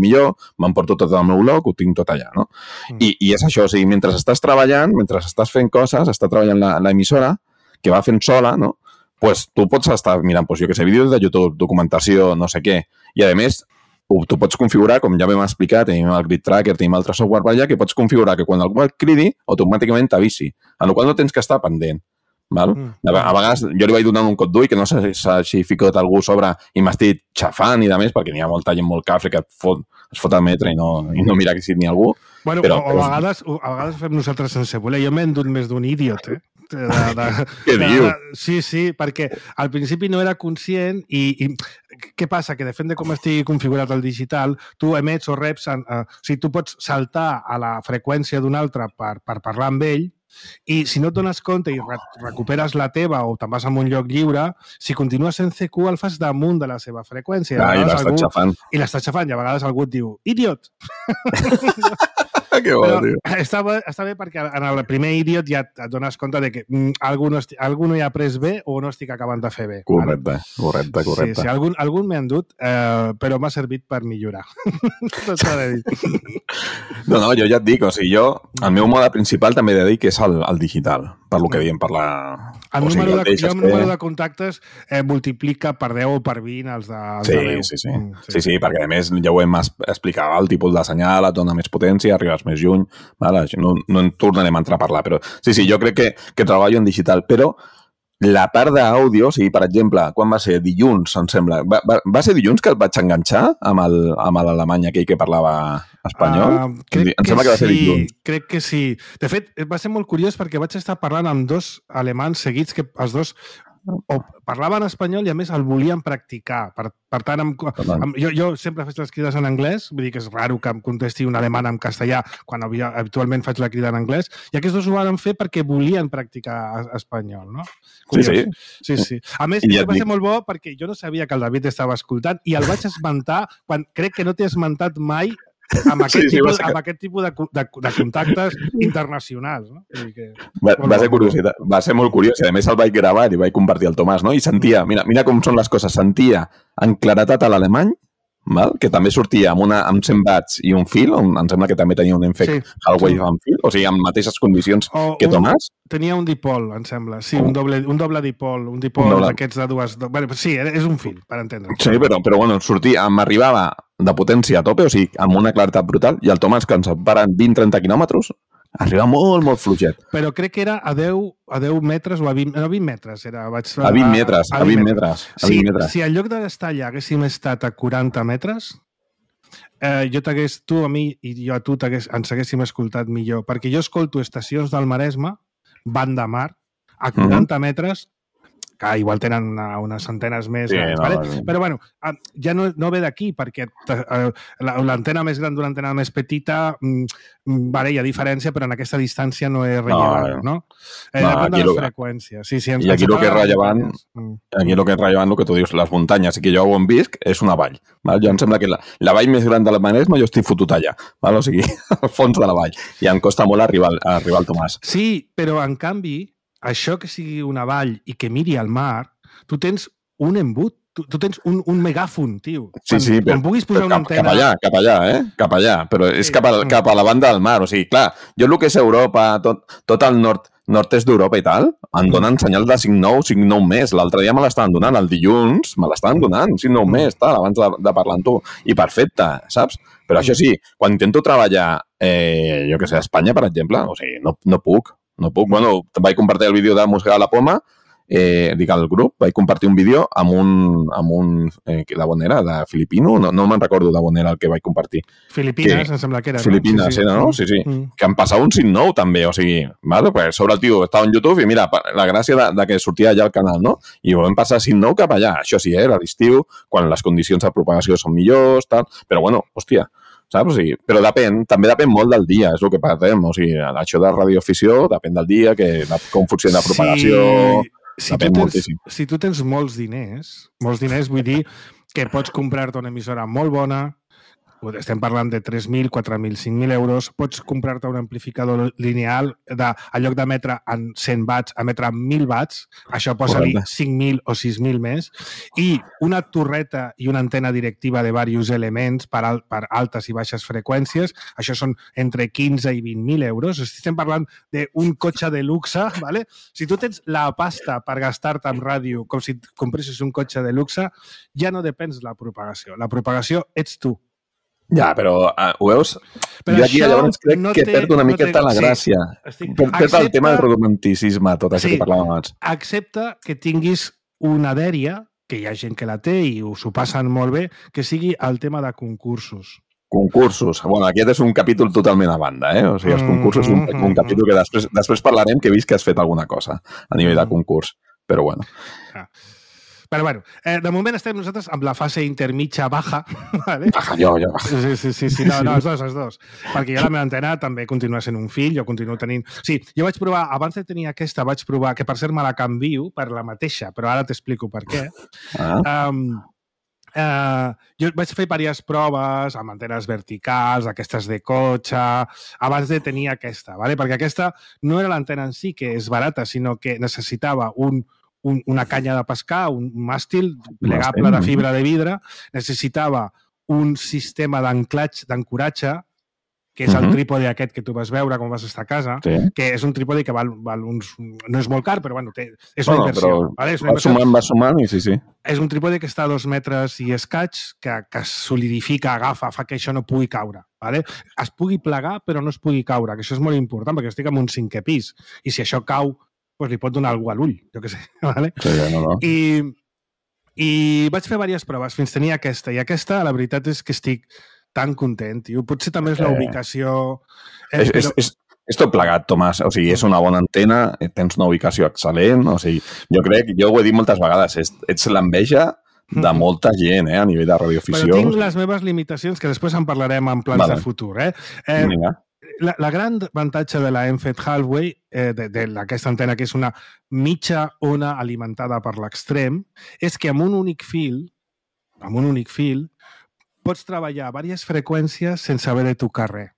millor, m'emporto tot el meu bloc, ho tinc tot allà, no? I és això, o sigui, mentre estàs treballant, mentre estàs fent coses, està treballant l'emissora, que va fent sola, no? Pues tu pots estar mirant, jo que sé, vídeos de YouTube, documentació, no sé què, i a més, tu pots configurar, com ja vam explicar, tenim el Grid Tracker, tenim altre software per allà, que pots configurar que quan algú et cridi, automàticament t'avisi, en la qual no tens que estar pendent. Val? A vegades jo li vaig donant un cop d'ull que no sé si s'ha ficat algú sobre i m'estic xafant i de més, perquè n'hi ha molta gent molt cafre que es fot al metre i no mira que si n'hi ha algú. Bueno, a vegades ho fem nosaltres sense voler. Jo m'he endut més d'un idiot, Què diu? Sí, perquè al principi no era conscient i què passa? Que depèn de com estigui configurat el digital, tu emets o reps... O sigui, tu pots saltar a la freqüència d'un altre per parlar amb ell, i si no et dones compte i recuperes la teva o te'n vas a un lloc lliure, si continues en CQ el fas damunt de la seva freqüència. I l'estàs xafant. I l'estàs xafant, i a vegades algú et diu, idiot! Que bo, tio. Està bé perquè en el primer idiot ja et dones compte de que algú no hi ha pres bé o no estic acabant de fer bé. Correcte. Sí, algun m'he endut, però m'ha servit per millorar. No s'ha de dir. No, jo ja et dic, o sigui, el meu mode principal també he de dir que és el digital, per lo que diem, per la... El número de contactes multiplica per 10 o per 20 els de 10. Sí, perquè a més ja ho hem explicat, el tipus de senyal et dona més potència, arribes més lluny, no en tornarem a entrar a parlar, però sí, jo crec que treballo en digital, però la part d'àudio, o sigui, per exemple, quan va ser? Dilluns, em sembla. Va ser dilluns que el vaig enganxar amb l'alemany aquell que parlava espanyol? Crec que sí. De fet, va ser molt curiós perquè vaig estar parlant amb dos alemans seguits que els dos o parlaven espanyol i a més el volien practicar. Per tant, jo sempre faig les crides en anglès, vull dir que és raro que em contesti un alemany en castellà quan habitualment faig la crida en anglès, i aquests dos ho van fer perquè volien practicar espanyol, no? Sí. A més, va ser molt bo perquè jo no sabia que el David estava escoltant i el vaig esmentar quan crec que no t'he esmentat mai amb aquest tipus de contactes internacionals, no? Va ser molt curiós, i a més el vaig gravar i vaig compartir el Tomàs, no? I sentia, mira com són les coses, sentia en claretat a l'alemany, que també sortia amb 100 watts i un fil, on em sembla que també tenia un Enfec Huawei amb fil, o sigui, amb mateixes condicions que Tomàs. Tenia un dipol, em sembla, sí, un doble dipol, un dipol d'aquests de dues... Sí, és un fil, per entendre. Sí, però bueno, sortia, m'arribava de potència a tope, o sigui, amb una claretat brutal, i el Tomàs, que ens separen 20-30 quilòmetres, arriba molt, molt fluixet. Però crec que era a 10 metres o a 20 metres. A 20 metres. Si en lloc d'estar allà haguéssim estat a 40 metres, tu a mi i jo a tu ens haguéssim escoltat millor, perquè jo escolto estacions del Maresme, Van de Mar, a 40 metres, que igual tenen unes centenes més grans, però bueno, ja no ve d'aquí, perquè l'antena més gran d'una antena més petita, hi ha diferència, però en aquesta distància no és rellevant, no? Depèn de les freqüències. I aquí el que és rellevant, el que tu dius, les muntanyes, i que jo on visc, és una vall. Jo em sembla que la vall més gran de la Maresme jo estic fotut allà, o sigui, al fons de la vall, i em costa molt arribar al Tomàs. Sí, però en canvi, això que sigui una vall i que miri al mar, tu tens un embut, tu tens un megàfon, tio. Sí, quan puguis posar una antena... Cap allà, però és cap a la banda del mar, o sigui, clar, jo el que és Europa, tot el nord, nord-est d'Europa i tal, em donen senyal de 5-9, 5-9 més. L'altre dia me l'estaven donant, el dilluns me l'estaven donant, 5-9 més, tal, abans de parlar amb tu. I perfecte, saps? Però això sí, quan intento treballar, jo que sé, a Espanya, per exemple, o sigui, no puc. Bueno, vaig compartir el vídeo de Música de la Poma, dic al grup, vaig compartir un vídeo amb un de on era? De filipino? No me'n recordo de on era el que vaig compartir. Filipines, em sembla que era. Filipines, era, no? Sí. Que em passava un 5-9 també, o sigui, vale? Pues sobre el tio estava en YouTube i mira, la gràcia de que sortia allà al canal, no? I vam passar 5-9 cap allà. Això sí, era l'estiu, quan les condicions de propagació són millors, tal, però bueno, hòstia, saps? O sigui, però també depèn molt del dia, és el que parlem. O sigui, això de radioafició depèn del dia, com funciona la propagació... Si tu tens molts diners, vull dir que pots comprar-te una emissora molt bona, estem parlant de 3.000, 4.000, 5.000 euros, pots comprar-te un amplificador lineal en lloc d'emetre en 100 watts, emetre en 1.000 watts, això posa-li 5.000 o 6.000 més, i una torreta i una antena directiva de diversos elements per altes i baixes freqüències, això són entre 15 i 20.000 euros. Estem parlant d'un cotxe de luxe, ¿vale? Si tu tens la pasta per gastar-te en ràdio com si compressis un cotxe de luxe, ja no depens de la propagació. La propagació ets tu. Ja, però ho veus? Però jo aquí llavors crec que perd una miqueta la gràcia. Perd el tema del romanticisme, tot això que parlàvem abans. Accepta que tinguis una dèria, que hi ha gent que la té i s'ho passen molt bé, que sigui el tema de concursos. Concursos. Bueno, aquest és un capítol totalment a banda, eh? O sigui, els concursos és un capítol que després parlarem, que he vist que has fet alguna cosa a nivell de concurs. Però bueno. Però bueno, de moment estem nosaltres amb la fase intermitja baja, ¿vale? Baja, jo. Sí, no, els dos. Perquè jo la meva antena també continua sent un fill, jo continuo tenint... Sí, jo vaig provar, abans de tenir aquesta, vaig provar, que per cert me la canvio per la mateixa, però ara t'explico per què. Jo vaig fer diverses proves amb antenes verticals, aquestes de cotxe, abans de tenir aquesta, ¿vale? Perquè aquesta no era l'antena en si, que és barata, sinó que necessitava una canya de pescar, un màstil plegable de fibra de vidre, necessitava un sistema d'ancoratge, que és el trípode aquest que tu vas veure quan vas estar a casa, que és un trípode que val uns... No és molt car, però bueno, és una inversió. Va sumant i sí. És un trípode que està a 2 metres i escaig, que solidifica, agafa, fa que això no pugui caure. Es pugui plegar, però no es pugui caure, que això és molt important, perquè estic en un 5è pis, i si això cau, pues li pot donar algú a l'ull, jo què sé. ¿Vale? Sí, no. I vaig fer diverses proves fins tenir aquesta. I aquesta, la veritat és que estic tan content. Potser també és la ubicació... És tot plegat, Tomàs. O sigui, és una bona antena, tens una ubicació excel·lent. O sigui, jo ho he dit moltes vegades, ets l'enveja de molta gent, a nivell de radioafició. Però tinc les meves limitacions, que després en parlarem en plans de futur. Vinga. La gran avantatge de la Enfed Halfway, d'aquesta antena, que és una mitja ona alimentada per l'extrem, és que amb un únic fil, pots treballar a diverses freqüències sense haver de tocar res.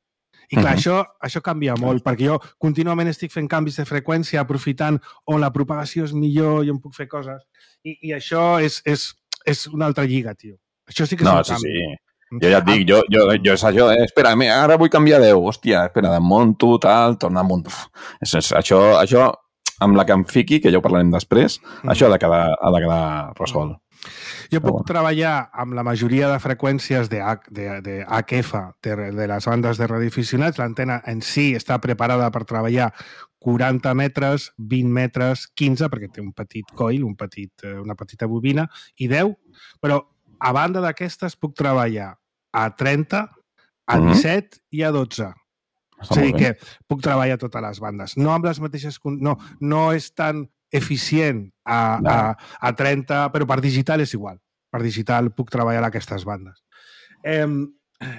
I clar, això canvia molt, perquè jo contínuament estic fent canvis de freqüència, aprofitant on la propagació és millor i on puc fer coses. I això és una altra lliga, tio. Això sí que és un canvi. Sí. Jo ja et dic, jo és això, espera, ara vull canviar 10, hòstia, espera, desmunto, tal, tornar a muntar. Això, amb la que em fiqui, que ja ho parlarem després, això ha de quedar resolt. Jo puc treballar amb la majoria de freqüències de HF, de les bandes de radioaficionats. L'antena en si està preparada per treballar 40 metres, 20 metres, 15, perquè té un petit coil, una petita bobina, i 10, però a banda d'aquestes puc treballar a 30, a 17 i a 12. És a dir, que puc treballar a totes les bandes. No amb les mateixes... No és tan eficient a 30, però per digital és igual. Per digital puc treballar a aquestes bandes.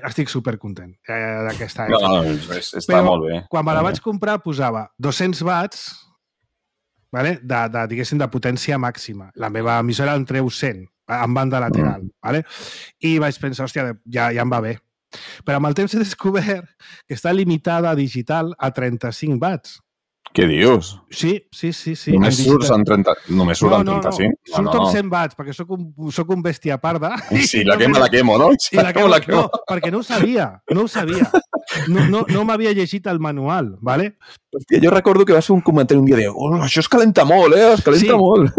Estic supercontent d'aquesta època. No, està molt bé. Quan me la vaig comprar posava 200 watts, diguéssim, de potència màxima. La meva emissora en treu 100, en banda lateral. I vaig pensar, hòstia, ja em va bé. Però amb el temps he descobert que està limitada a digital a 35 watts. Què dius? Sí. Només surts en 35? No. Surto amb 100 watts, perquè soc un bèstia parda. Sí, la quemo, no? No, perquè no ho sabia. No m'havia llegit el manual, ¿vale? Hòstia, jo recordo que vas fer un comentari un dia de això es calenta molt, es calenta molt.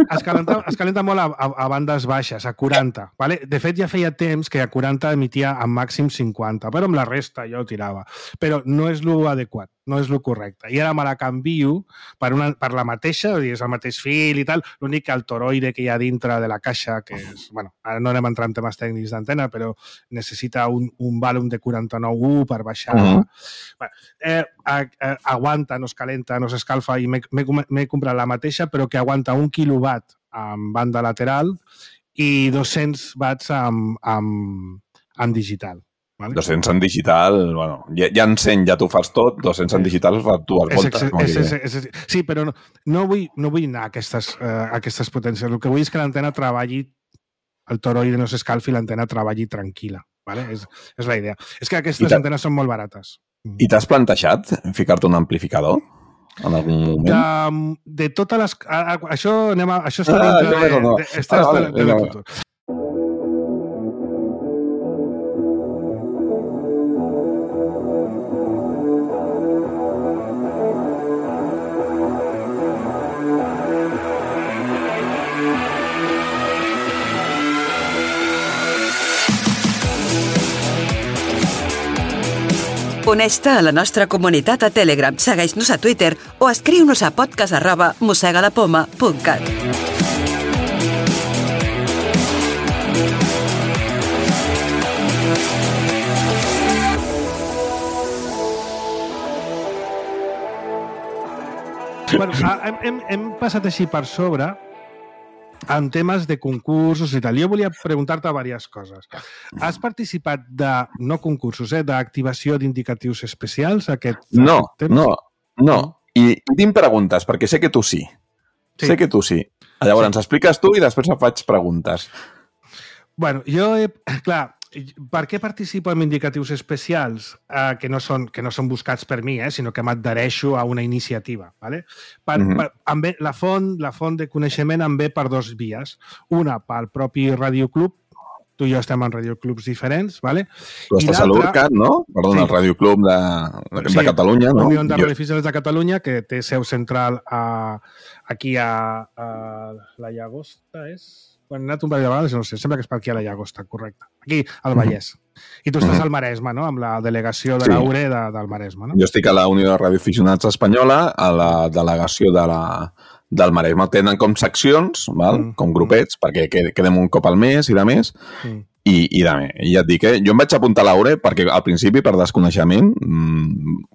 Es calenta molt a bandes baixes, a 40. Vale? De fet, ja feia temps que a 40 emitia en màxim 50, però amb la resta jo ho tirava. Però no és l'adequat, no és el correcte. I ara me la canvio per la mateixa, és el mateix fil i tal, l'únic que el toroide que hi ha dintre de la caixa, que és, bueno, ara no anem a entrar en temes tècnics d'antena, però necessita un vàlum de 49U per baixar. Aguanta, no es calenta, no s'escalfa, i m'he comprat la mateixa, però que aguanta 1 quilowatt amb banda lateral i 200 watts amb digital. Vale? 200 en digital, bueno, ja en 100 ja t'ho fas tot, 200 en digital fa dues voltes. Sí, però no vull anar a aquestes potències. El que vull és que l'antena treballi, el toroide no s'escalfi, l'antena treballi tranquil·la. Vale? És la idea. És que aquestes antenes són molt barates. I t'has plantejat ficar-te un amplificador en algun moment? De totes les... Això està dintre del futur. Uneix-te a la nostra comunitat a Telegram, segueix-nos a Twitter o escriu-nos a podcast@mossegalapoma.cat. Bueno, hem passat així per sobre en temes de concursos i tal. Jo volia preguntar-te diverses coses. Has participat de, no concursos, d'activació d'indicatius especials aquest temps? No. I tinc preguntes, perquè sé que tu sí. Sé que tu sí. Llavors, ens expliques tu i després em faig preguntes. Bueno, clar, per què participo en indicatius especials que no són buscats per mi, sinó que m'adhereixo a una iniciativa? ¿Vale? La font de coneixement em ve per dues vies. Una, pel propi radioclub. Tu i jo estem en radioclubs diferents, ¿vale? Tu estàs a l'URCAT, no? Perdona, el radioclub de Catalunya, no? Unió de Radioaficionats de Catalunya, que té seu central aquí a la Llagosta, és? Bueno, he anat un parell de vegades, no sé, sembla que és per aquí a la Llagosta, correcte. Aquí, al Vallès. I tu estàs al Maresme, no? Amb la delegació de l'URE del Maresme, no? Jo estic a la Unió de Radioaficionats Espanyola, a la delegació del Maresme. Tenen com seccions, com grupets, perquè quedem un cop al mes i de més. I ja et dic, jo em vaig apuntar a l'URE perquè al principi, per desconeixement,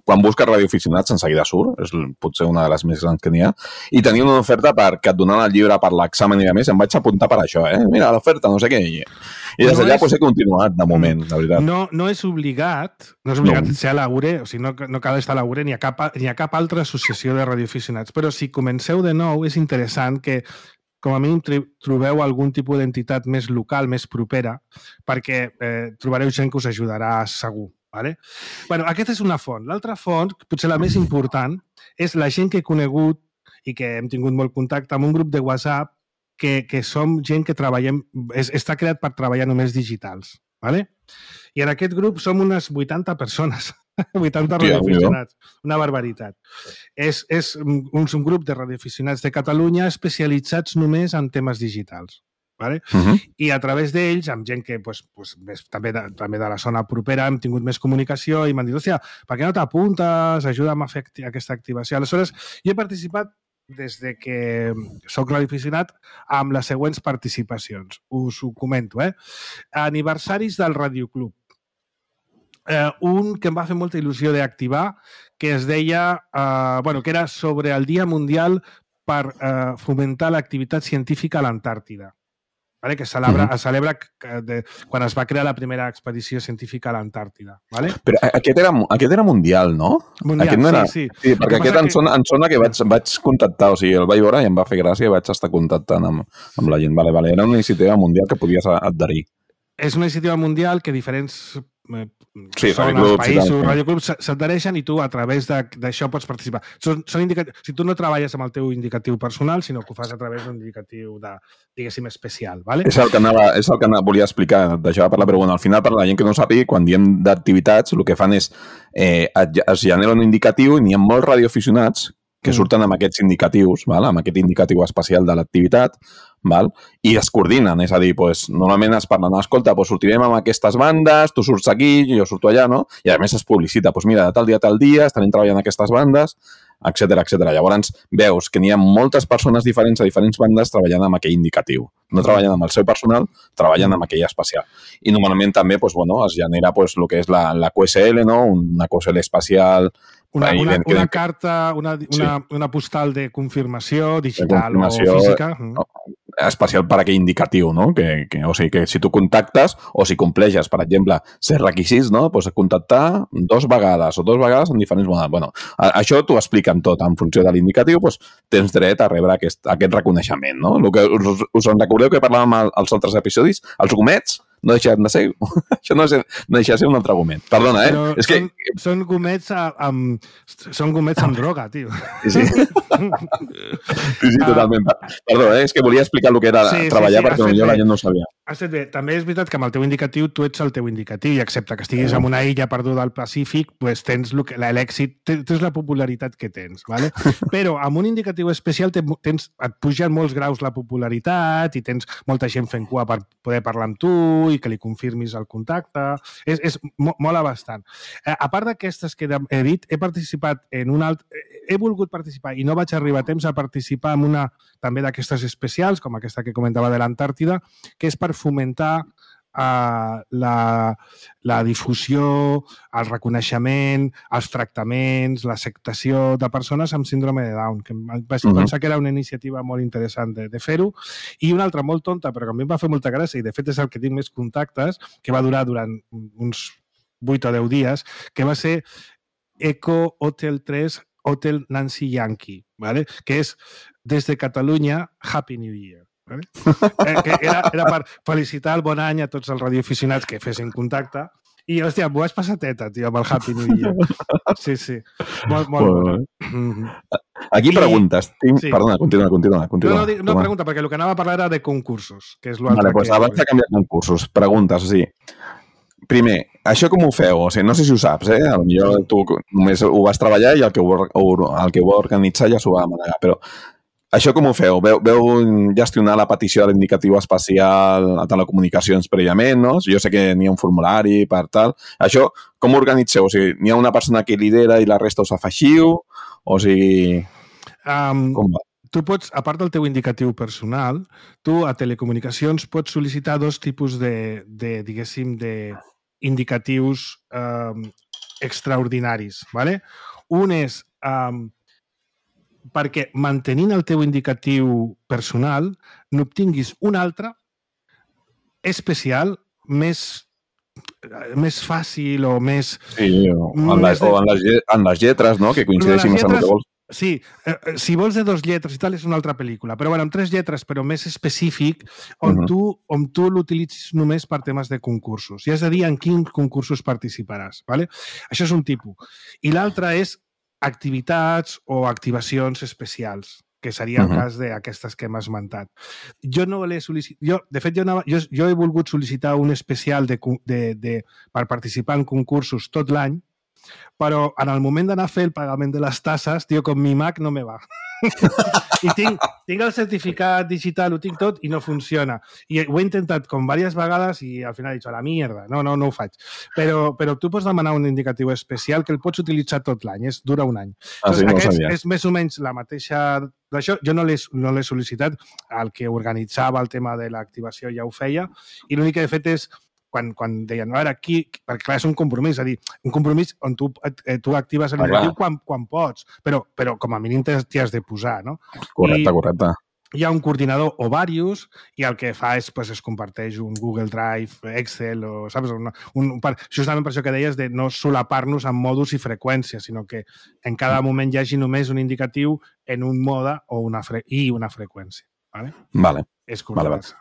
quan busques radioaficionats en seguida surt, és potser una de les més grans que n'hi ha, i tenia una oferta que et donaven el llibre per l'examen i de més, em vaig apuntar per això, mira, l'oferta, no sé què, i des d'allà he continuat de moment, de veritat. No és obligat ser a l'URE, o sigui, no cal estar a l'URE ni a cap altra associació de radioaficionats, però si comenceu de nou és interessant que com a mínim trobeu algun tipus d'entitat més local, més propera, perquè trobareu gent que us ajudarà segur. Vale? Bueno, aquesta és una font. L'altra font, potser la més important, és la gent que he conegut i que hem tingut molt contacte amb un grup de WhatsApp que som gent que treballem, està creat per treballar només digitals. Vale? I en aquest grup som unes 80 persones. 80 radioaficionats, una barbaritat. És un grup de radioaficionats de Catalunya especialitzats només en temes digitals. Vale? I a través d'ells, amb gent que també de la zona propera hem tingut més comunicació i m'han dit, hòstia, per què no t'apuntes? Ajuda'm a fer aquesta activació. Aleshores, jo he participat des de que soc radioaficionat amb les següents participacions. Us ho comento, Aniversaris del Radioclub. Un que em va fer molta il·lusió d'activar, que es deia, que era sobre el Dia Mundial per fomentar l'activitat científica a l'Antàrtida, vale? Que es celebra quan es va crear la primera expedició científica a l'Antàrtida. Vale? Però aquest era mundial, no? Mundial, no era... sí. Sí, perquè aquest em sona que vaig contactar, o sigui, el vaig veure i em va fer gràcia i vaig estar contactant amb la gent. Vale. Era una iniciativa mundial que podies adherir. És una iniciativa mundial que diferents zones, països, radioclubs, s'adhereixen i tu a través d'això pots participar. Si tu no treballes amb el teu indicatiu personal, sinó que ho fas a través d'un indicatiu diguéssim, especial. ¿vale? És el que volia explicar, d'això va parlar, però bueno, al final, per la gent que no sàpiga, quan diem d'activitats, el que fan és es genera un indicatiu i n'hi ha molts radioaficionats que surten amb aquests indicatius, val? Amb aquest indicatiu especial de l'activitat, val? I es coordinen, és a dir, doncs, normalment es parla, no, escolta, doncs sortirem amb aquestes bandes, tu surts aquí, jo surto allà, no? I a més es publicita, doncs mira, de tal dia estarem treballant aquestes bandes, etcètera. Llavors veus que n'hi ha moltes persones diferents a diferents bandes treballant amb aquell indicatiu. No treballant amb el seu personal, treballant amb aquell especial. I normalment també doncs, bueno, es genera doncs, el que és la QSL, no? Una QSL especial. Una carta, una postal de confirmació digital o física. Especial per aquell indicatiu, no? O sigui, que si tu contactes o si compleixes, per exemple, ser requisits, no? Pues contactar 2 vegades o 2 vegades en diferents models. Bueno, això t'ho expliquen tot. En funció de l'indicatiu, pues, tens dret a rebre aquest reconeixement, no? El que us en recordeu que parlàvem als altres episodis? Els gomets no deixen de ser... Això no deixa de ser un altre argument. Perdona, Però és que... Són gomets amb droga, tio. Sí, totalment. Perdó, és que volia explicar el que era treballar perquè potser la gent no ho sabia. Has fet bé. També és veritat que amb el teu indicatiu tu ets el teu indicatiu i excepte que estiguis en una illa perduda al Pacífic, pues tens l'èxit, tens la popularitat que tens, ¿vale? Però amb un indicatiu especial et pugen molts graus la popularitat i tens molta gent fent cua per poder parlar amb tu i que li confirmis el contacte. Mola bastant. A part d'aquestes que he dit, he participat en un altre... He volgut participar i no vaig arribar a temps a participar en una també d'aquestes especials, com aquesta que comentava de l'Antàrtida, que és per fomentar la difusió, el reconeixement, els tractaments, l'acceptació de persones amb síndrome de Down, que vaig pensar que era una iniciativa molt interessant de fer-ho. I una altra molt tonta, però que a mi em va fer molta gràcia, i de fet és el que tinc més contactes, que va durar durant uns 8 o 10 dies, que va ser Eco Hotel 3 Hotel Nancy Yankee, ¿vale? Que és des de Catalunya Happy New Year. ¿vale? Que era per felicitar el bon any a tots els radioaficionats que fessin contacte i, hòstia, m'ho vaig passar teta, tio, amb el Happy New Year. Sí. Molt bona. Aquí preguntes. Sí. Perdona, continua. No, pregunta, perquè el que anava a parlar era de concursos, que és l'altre. Vale, doncs abans de canviar concursos, preguntes, o sigui, primer, això com ho feu? O sigui, no sé si ho saps, Potser tu només ho vas treballar i el que ho va organitzar ja s'ho va manegar, però això com ho feu? Veu gestionar la petició de l'indicatiu especial a telecomunicacions prèviament, no? Jo sé que n'hi ha un formulari per tal. Això, com ho organitzeu? O sigui, n'hi ha una persona que lidera i la resta us afegiu? O sigui... Com va? Tu pots, a part del teu indicatiu personal, tu a telecomunicacions pots sol·licitar 2 tipus diguéssim, indicatius extraordinaris. ¿vale? Un és perquè mantenint el teu indicatiu personal n'obtinguis un altre especial més fàcil o més... Sí, en les lletres, no? Que coincideixin amb el que vols. Sí, si vols de 2 lletres i tal, és una altra pel·lícula. Però bueno, amb 3 lletres, però més específic, on tu l'utilitzis només per temes de concursos. I has de dir en quins concursos participaràs. ¿vale? Això és un tipus. I l'altre és activitats o activacions especials, que seria el cas d'aquestes que hem esmentat. Jo no l'he sol·licitat... De fet, jo he volgut sol·licitar un especial per participar en concursos tot l'any, però en el moment d'anar a fer el pagament de les tasses, tio, com mi Mac no me va. I tinc el certificat digital, ho tinc tot i no funciona. I ho he intentat com diverses vegades i al final he dit, a la mierda, no ho faig. Però tu pots demanar un indicatiu especial que el pots utilitzar tot l'any, dura un any. Sí, no sabia. És més o menys la mateixa... D'això jo no l'he sol·licitat, el que organitzava el tema de l'activació ja ho feia, i l'únic que he fet és quan deien, a veure, aquí, perquè clar, és un compromís, és a dir, un compromís on tu actives l'indicatiu quan pots, però com a mínim t'hi has de posar, no? Correcte. Hi ha un coordinador o diversos i el que fa és, es comparteix un Google Drive, Excel, o saps? Justament per això que deies de no solapar-nos en mòduls i freqüències, sinó que en cada moment hi hagi només un indicatiu en un mode o una freqüència. Vale. És correcte.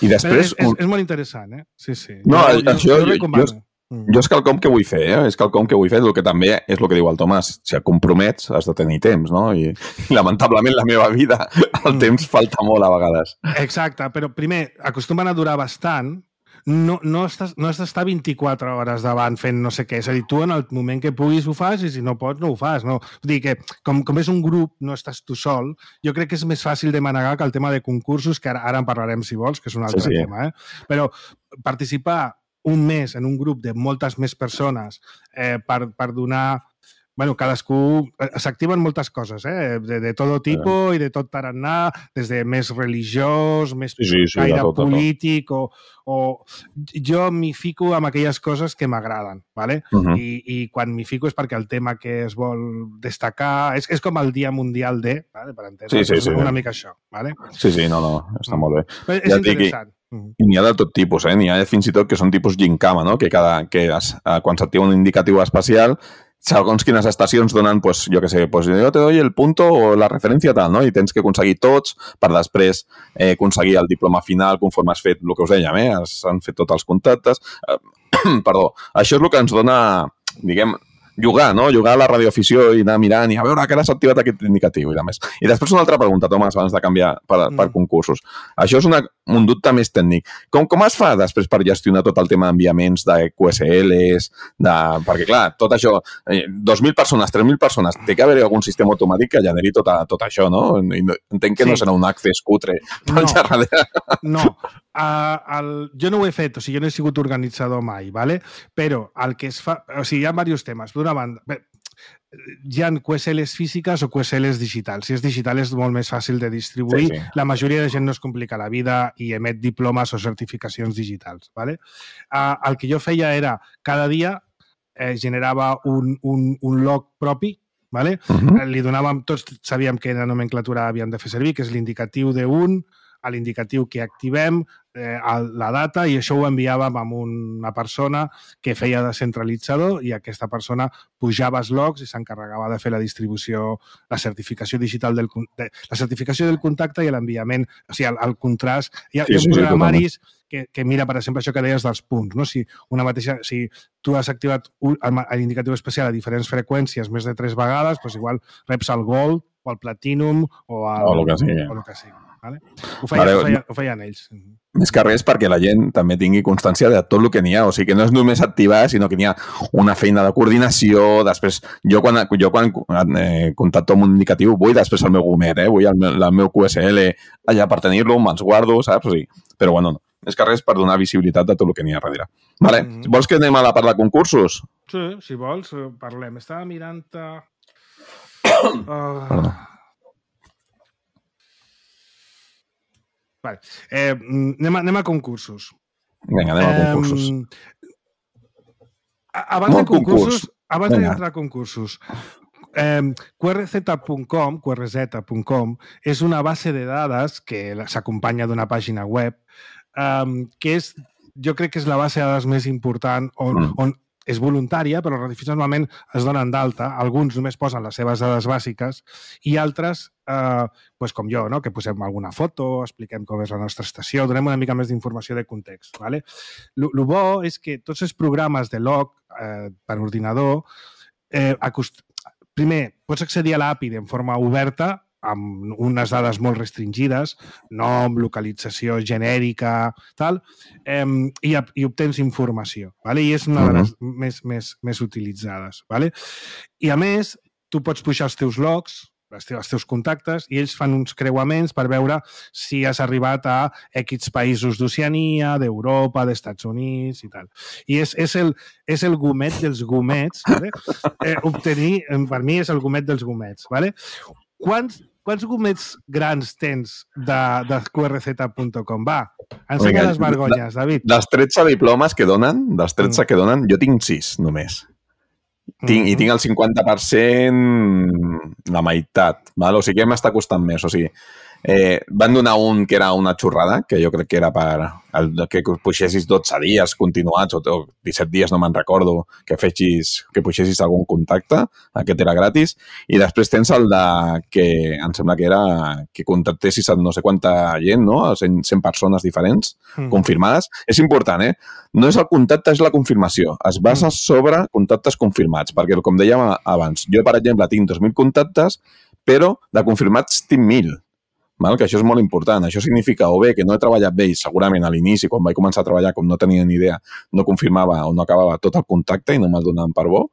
I després... És molt interessant, Sí. No, jo recomano. Jo és quelcom que vull fer, és quelcom que vull fer, el que també és el que diu el Tomàs, si et compromets has de tenir temps, no? I lamentablement la meva vida, el temps falta molt a vegades. Exacte, però primer, acostumen a durar bastant, no has d'estar 24 hores davant fent no sé què, és a dir, tu en el moment que puguis ho fas i si no pots no ho fas, no? Vull dir que com és un grup, no estàs tu sol, jo crec que és més fàcil de manegar que el tema de concursos, que ara en parlarem si vols, que és un altre tema, però participar un mes en un grup de moltes més persones per donar... Bueno, cadascú... S'activen moltes coses, de tot tipus i de tot tarannà, des de més religiós, més gaire polític, o jo m'hi fico amb aquelles coses que m'agraden, ¿vale? I quan m'hi fico és perquè el tema que es vol destacar... És com el Dia Mundial de... ¿vale? Per entendre, és una mica això, ¿vale? Sí, no, està molt bé. És interessant. I n'hi ha de tot tipus, n'hi ha fins i tot que són tipus gincama, no? Que quan s'activa un indicatiu especial, segons quines estacions donen, pues, jo què sé, pues, jo te doy el punto o la referència tal, no? I tens que aconseguir tots per després aconseguir el diploma final conforme has fet el que us dèiem, han fet tots els contactes. Perdó. Això és el que ens dona, diguem, jugar, no? Jugar a la radioafició i anar mirant i a veure que ara s'ha activat aquest indicatiu i de més. I després una altra pregunta, Tomàs, abans de canviar per concursos. Això és un dubte més tècnic. Com es fa després per gestionar tot el tema d'enviaments de QSLs, perquè clar, tot això, 2.000 persones, 3.000 persones, té que haver algun sistema automàtic que generi tot això, no? Entenc que no serà un accés cutre. No. Jo no ho he fet, o sigui, jo no he sigut organitzador mai, ¿vale? Però el que es fa... O sigui, hi ha diversos temes. D'una banda, hi ha QSLs físiques o QSLs digitals. Si és digital és molt més fàcil de distribuir. Sí. La majoria de gent no es complica la vida i emet diplomes o certificacions digitals, ¿vale? El que jo feia era, cada dia generava un log propi, ¿vale? Li donàvem, tots sabíem quina nomenclatura havíem de fer servir, que és l'indicatiu d'1, a l'indicatiu que activem, la data, i això ho enviàvem a una persona que feia de centralitzador i aquesta persona pujava els logs i s'encarregava de fer la distribució, la certificació digital la certificació del contacte i l'enviament, o sigui, el contrast. Hi ha programaris que mira, per exemple, això que deies dels punts, no? Si tu has activat l'indicatiu especial a diferents freqüències més de 3 vegades, doncs igual reps el gold o el platinum o el que sigui. Vale? Ho feien ells. Més que res perquè la gent també tingui constància de tot el que n'hi ha. O sigui, que no és només activar, sinó que n'hi ha una feina de coordinació. Després, jo quan contacto amb un indicatiu vull després el meu gomet, vull el meu QSL allà per tenir-lo, me'ls guardo, saps? O sigui, però bueno, no. Més que res per donar visibilitat a tot el que n'hi ha darrere. Vale. Vols que anem a la part de concursos? Sí, si vols, parlem. Estava mirant... Perdó. Vale. Anem a concursos. Vinga, anem a concursos. Abans d'entrar a concursos, QRZ.com és una base de dades que s'acompanya d'una pàgina web que jo crec que és la base de dades més important on és voluntària, però els radioaficionats normalment es donen d'alta. Alguns només posen les seves dades bàsiques i altres, com jo, que posem alguna foto, expliquem com és la nostra estació, donem una mica més d'informació de context. El bo és que tots els programes de log per ordinador, primer, pots accedir a l'API de forma oberta, amb unes dades molt restringides, nom, localització genèrica, tal, i obtens informació. I és una de les més utilitzades. I a més, tu pots pujar els teus logs, els teus contactes, i ells fan uns creuaments per veure si has arribat a X països d'Oceania, d'Europa, d'Estats Units i tal. I és el gomet dels gomets. Obtenir, per mi, és el gomet dels gomets. Quants gomets grans tens de QRZ.com? Va, ensenya les vergonyes, David. Dels 13 diplomes que donen, jo tinc 6 només. I tinc el 50%, la meitat. O sigui, que m'està costant més. O sigui, van donar un que era una xorrada, que jo crec que era que puixessis 12 dies continuats o 17 dies, no me'n recordo, que puixessis algun contacte, aquest era gratis, i després tens el de que em sembla que era que contactessis a no sé quanta gent, no? 100 persones diferents confirmades. És important, No és el contacte, és la confirmació. Es basa sobre contactes confirmats, perquè, com dèiem abans, jo, per exemple, tinc 2.000 contactes, però de confirmats tinc 1.000. Que això és molt important. Això significa o bé que no he treballat bé, segurament a l'inici, quan vaig començar a treballar, com no tenia ni idea, no confirmava o no acabava tot el contacte i no me'l donaven per bo,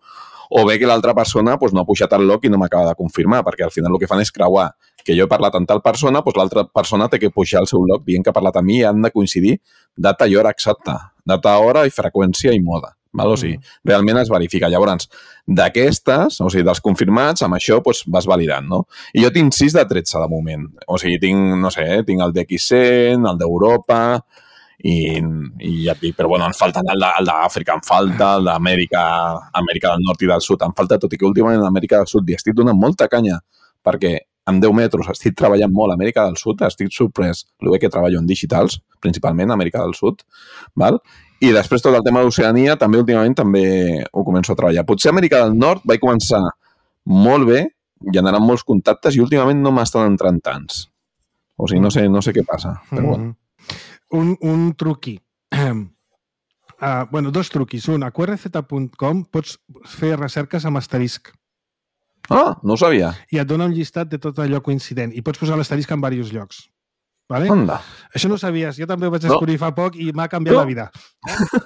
o bé que l'altra persona no ha pujat el log i no m'acaba de confirmar, perquè al final el que fan és creuar que jo he parlat amb tal persona, l'altra persona té que pujar el seu log dient que ha parlat amb mi i han de coincidir data i hora exacta. Data, hora i freqüència i mode. O sigui, realment es verifica. Llavors, d'aquestes, o sigui, dels confirmats, amb això vas validant, no? I jo tinc 6 de 13 de moment. O sigui, tinc, no sé, tinc el d'X100, el d'Europa, i ja et dic, però bueno, em falta el d'Àfrica, em falta el d'Amèrica del Nord i del Sud, em falta, tot i que últimament a Amèrica del Sud li estic donant molta canya, perquè amb 10 metres estic treballant molt a Amèrica del Sud, estic sorprès, el bé que treballo en digitals, principalment a Amèrica del Sud, val? I després tot el tema d'Oceania també últimament també ho començo a treballar. Potser a Amèrica del Nord vaig començar molt bé, generant molts contactes i últimament no m'estan entrant tants. O sigui, no sé què passa, però bueno. Un truqui. Dos truquis. Un, a qrz.com pots fer recerques amb asterisc. Ah, no ho sabia. I et dona un llistat de tot allò coincident. I pots posar l'asterisc en diversos llocs. Vale? Onda. Això no ho sabies. Jo també ho vaig descobrir fa poc i m'ha canviat la vida.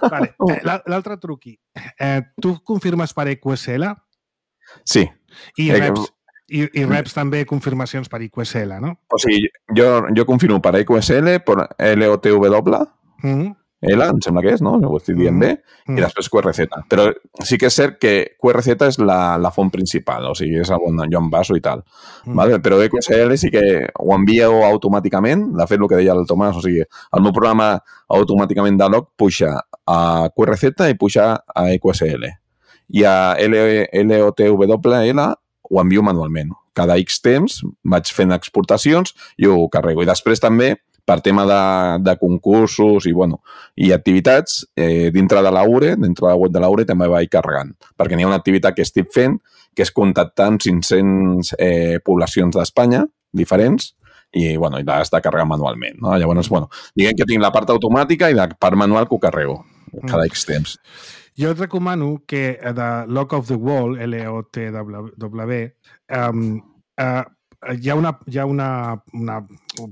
Vale. L'altre truqui. Tu confirmes per EQSL? Sí. I reps també confirmacions per EQSL, no? O sigui, jo confirmo per EQSL, per LOTW, L, em sembla que és, no? Ho estic dient bé, i després QRZ. Però sí que és cert que QRZ és la font principal, o sigui, és on jo em baso i tal. Vale? Però EQSL sí que ho envio automàticament, de fet, el que deia el Tomàs, o sigui, el meu programa automàticament de log puja a QRZ i puja a EQSL. I a LOTWL ho envio manualment. Cada X temps vaig fent exportacions i ho carrego. I després també, per tema de concursos i activitats, dintre de l'Aure, dintre de la web de l'Aure, també vaig carregant. Perquè n'hi ha una activitat que estic fent, que és contactar amb 500 poblacions d'Espanya diferents, i l'has de carregar manualment. No? Llavors, diguem que tinc la part automàtica i la part manual que ho carrego cada X temps. Jo et recomano que de Lock of the Wall, LOTW, hi ha una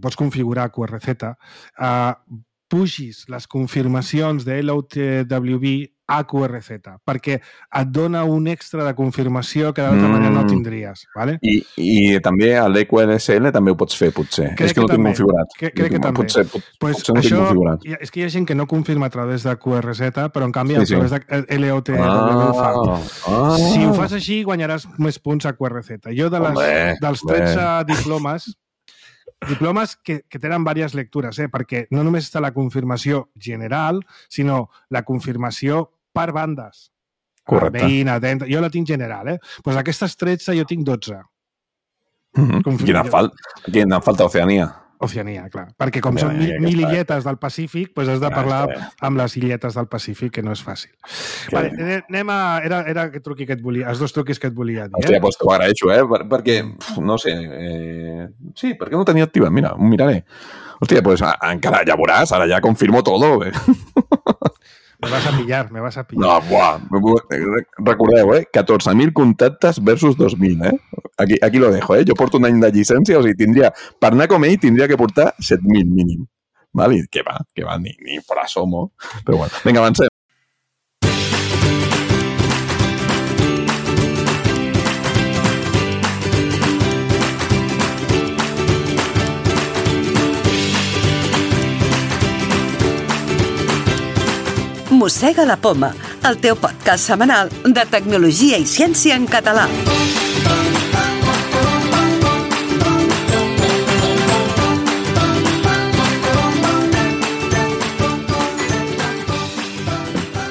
pots configurar QRZ, pugis les confirmacions de LOTWB a QRZ, perquè et dona un extra de confirmació que d'altra manera no tindries. ¿Vale? I també a l'EQSL també ho pots fer, potser. És que no tinc configurat. Crec que també. Potser no tinc configurat. És que hi ha gent que no confirma a través de QRZ, però en canvi a través de LOTW ho fa. Si ho fas així, guanyaràs més punts a QRZ. Jo dels 13 diplomes que tenen diverses lectures, perquè no només està la confirmació general, sinó la confirmació per bandes. Correcte. Veïna, jo la tinc general, Doncs aquestes 13 jo tinc 12. Quina falta Oceania. Oceania, clar. Perquè com són 1.000 illetes del Pacífic, doncs has de parlar amb les illetes del Pacífic, que no és fàcil. Vale, anem a... Era aquest truqui que et volia, els dos truquis que et volia dir. Hòstia, doncs t'ho agraeixo, perquè, no sé... Sí, perquè no tenia activa? Mira, ho miraré. Hòstia, doncs encara ja veuràs, ara ja confirmo todo, Me vas a pillar. No, buah. Recordeu, 14.000 contactes versus 2.000, Aquí lo dejo, Jo porto un any de llicència, o sigui, per anar com ell, tindria que portar 7.000 mínim. Vale? Que va, ni por asomo. Però bueno, vinga, avancem. Mossega la Poma, el teu podcast setmanal de tecnologia i ciència en català.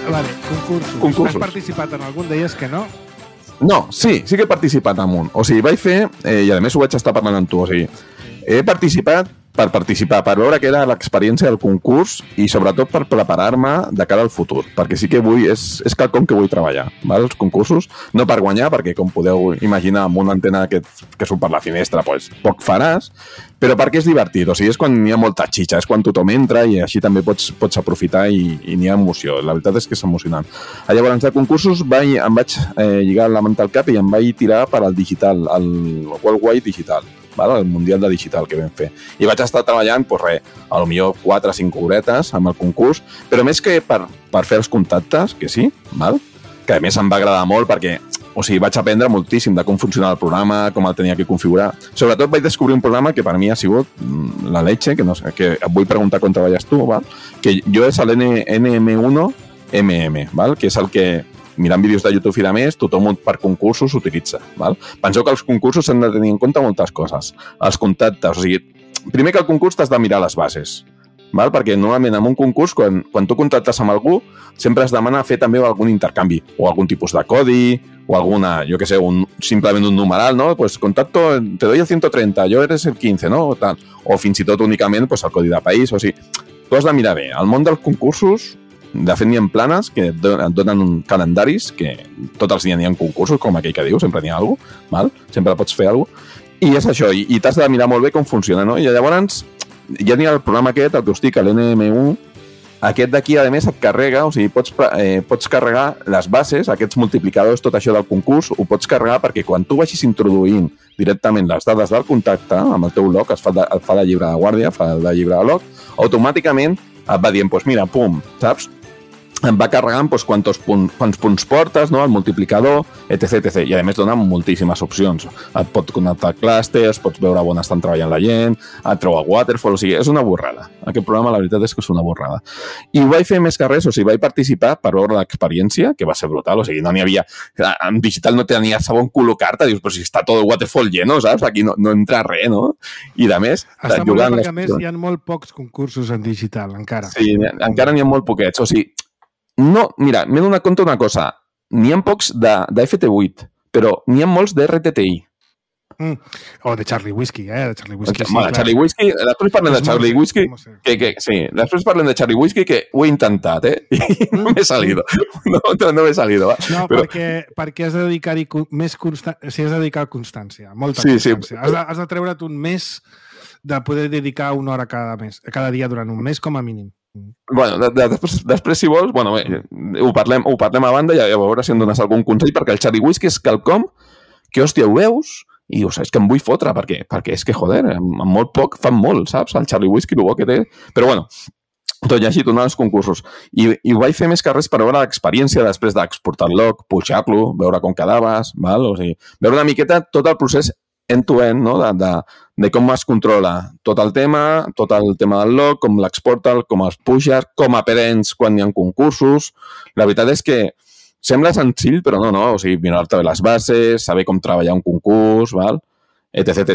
Vale, concursos. Has participat en algun? Deies que no? No, sí que he participat en un. O sigui, vaig fer, i a més ho vaig estar parlant amb tu, o sigui, He participat per participar, per veure què era l'experiència del concurs i sobretot per preparar-me de cara al futur, perquè sí que vull, és quelcom que vull treballar, val? Els concursos, no per guanyar, perquè com podeu imaginar amb una antena que surt per la finestra, doncs poc faràs, però perquè és divertit, o sigui, és quan hi ha molta xitxa, és quan tothom entra i així també pots aprofitar i n'hi ha emoció, la veritat és que és emocionant. Llavors, de concursos em vaig lligar la manta al cap i em vaig tirar per al digital, el Worldwide Digital, el Mundial de Digital que vam fer. I vaig estar treballant, a lo millor 4 o 5 horetes amb el concurs, però més que per fer els contactes, que sí, que a més em va agradar molt perquè vaig aprendre moltíssim de com funcionava el programa, com el tenia que configurar. Sobretot vaig descobrir un programa que per mi ha sigut la leche, que et vull preguntar com treballes tu, que jo és l'NM1MM, que és el que mirant vídeos de YouTube i de més, tothom per concursos s'utilitza. Penseu que els concursos s'han de tenir en compte moltes coses. Els contactes, primer que el concurs t'has de mirar les bases, perquè normalment en un concurs, quan tu contactes amb algú, sempre es demana fer també algun intercanvi, o algun tipus de codi, o alguna, jo què sé, simplement un numeral, no? Pues contacto, te doy el 130, yo eres el 15, no? O fins i tot únicament el codi de país, tu has de mirar bé. Al món dels concursos, de fet, n'hi ha planes que et donen calendaris, que tots els dies n'hi ha concursos, com aquell que diu, sempre n'hi ha alguna cosa, sempre pots fer alguna cosa, i és això, i t'has de mirar molt bé com funciona, no? I llavors ja n'hi ha el programa aquest, el que us dic, l'NM1, aquest d'aquí, a més, et carrega, pots carregar les bases, aquests multiplicadors, tot això del concurs, ho pots carregar perquè quan tu vagis introduint directament les dades del contacte amb el teu log, et fa de llibre de guàrdia, fa de llibre de log, automàticament et va dient, mira, pum, saps? Em va carregant quants punts portes, no? El multiplicador, etc. I a més dona moltíssimes opcions. Et pot connectar clústers, pots veure on estan treballant la gent, et treu el waterfall, és una borrada. Aquest programa la veritat és que és una borrada. I ho vaig fer més que res, vaig participar per veure l'experiència, que va ser brutal, no n'hi havia... En digital no tenia segon col·locar-te, dius, però si està tot el waterfall lleno, saps? Aquí no entra res, no? I de més... Està molt bé perquè a més hi ha molt pocs concursos en digital, encara. Sí, encara n'hi ha molt poquets, no, mira, m'he donat compte una cosa. N'hi ha pocs de FT8, però n'hi ha molts de RTTI. O de Charlie Whiskey, de Charlie Whiskey. Bueno, Charlie Whiskey, després parlem de Charlie Whiskey, sí, després parlem de Charlie Whiskey, que ho he intentat, i no m'he salido. No m'he salido. No, perquè has de dedicar-hi més constància, has de dedicar constància, molta constància. Has de treure't un mes de poder dedicar una hora cada dia durant un mes, com a mínim. Bueno, després, si vols, ho parlem a banda i a veure si em dones algun consell, perquè el Charlie Whiskey és quelcom que, hòstia, ho veus i dius, és que em vull fotre, perquè és que, joder, amb molt poc fan molt, saps? El Charlie Whiskey, el bo que té. Però, bueno, tot i així, tornant als concursos. I ho vaig fer més que res per veure l'experiència després d'exportar el log, pujar-lo, veure com quedaves, veure una miqueta tot el procés end-to-end, no? De com es controla tot el tema del log, com l'exporta, com els puges, com aprens quan hi ha concursos. La veritat és que sembla senzill, però no. Mirar-te bé les bases, saber com treballar un concurs, etc.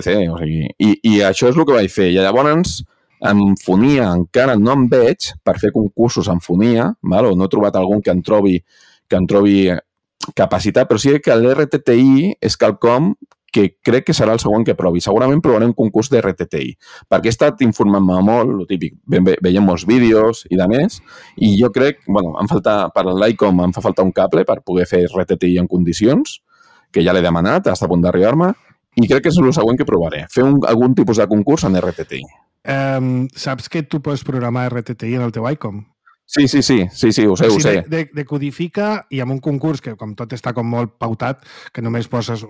I això és el que vaig fer. I llavors, en Fonia encara no em veig per fer concursos en Fonia, o no he trobat algun que em trobi capacitat, però sí que l'RTTI és quelcom que crec que serà el següent que provi. Segurament provaré un concurs de RTTI, perquè he estat informant-me molt, el típic, veiem molts vídeos i de més, i jo crec, em falta, per l'ICOM em fa falta un cable per poder fer RTTI en condicions, que ja l'he demanat, està a punt d'arribar-me, i crec que és el següent que provaré, fer algun tipus de concurs en RTTI. Saps que tu pots programar RTTI en el teu ICOM? Sí, ho sé. Decodifica i amb un concurs que com tot està com molt pautat, que només poses...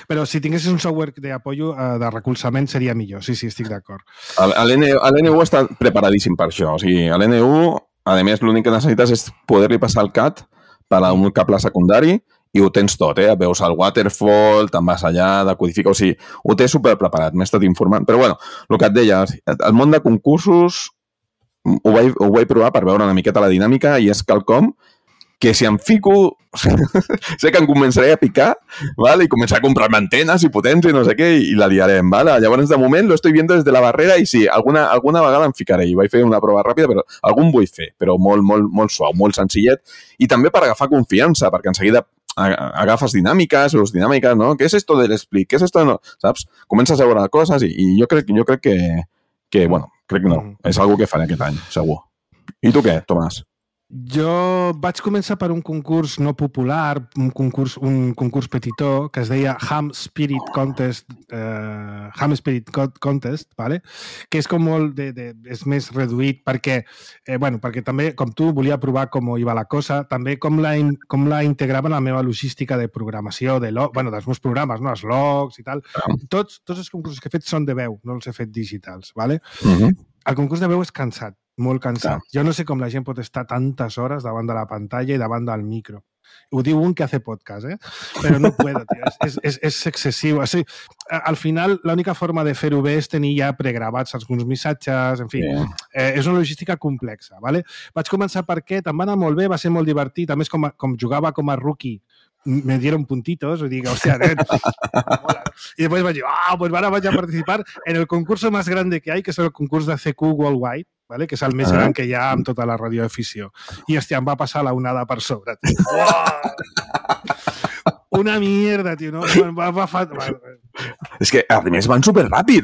però si tinguessis un software d'apoyo, de recolzament, seria millor. Sí, estic d'acord. L'NU està preparadíssim per això. A l'NU, a més, l'únic que necessites és poder-li passar el CAT per a un cable secundari i ho tens tot, veus el waterfall, te'n vas allà, decodifica, ho té superpreparat, m'he estat informant. Però, el que et deia, el món de concursos ho vaig provar per veure una miqueta la dinàmica i és quelcom que si em fico, sé que em començaré a picar, i començaré a comprar antenes i potents i no sé què, i la liarem. Llavors, de moment, lo estoy viendo des de la barrera i sí, alguna vegada em ficaré. I vaig fer una prova ràpida, però algun vull fer, però molt suau, molt senzillet. I també per agafar confiança, perquè en seguida agafes dinàmiques, veus dinàmiques, no? ¿Qué es esto del split? ¿Qué es esto? No? Saps? Comences a veure coses i jo crec que bueno, crec que no. És algo que faré aquest any, segur. I tu què, Tomàs? Jo vaig començar per un concurs no popular, un concurs petitó, que es deia Ham Spirit Contest, vale? Que és com molt és més reduït perquè, perquè també, com tu, volia provar com iba la cosa, també com la integrava en la meva logística de programació, dels meus programes, no? Els logs i tal. Tots els concursos que he fet són de veu, no els he fet digitals, vale? El concurs de veu és cansat, molt cansat. Jo no sé com la gent pot estar tantes hores davant de la pantalla i davant del micro. Ho diu un que hace podcast, Però no puedo, tio. És excessiu. O sigui, al final, l'única forma de fer-ho bé és tenir ja pregravats alguns missatges, en fi. És una logística complexa, ¿vale? Vaig començar per aquest, em va anar molt bé, va ser molt divertit. A més, com jugava com a rookie, me dieron puntitos, y digo, hostia, mola. Y después vaig dir, pues ahora vaig a participar en el concurso más grande que hay, que és el concurs de CQ Worldwide, ¿vale? Que és el més gran que hi ha amb tota la radioafició. I, hòstia, em va passar la onada per sobre, tio. Una mierda, tio, no? És que, a més, van superràpid,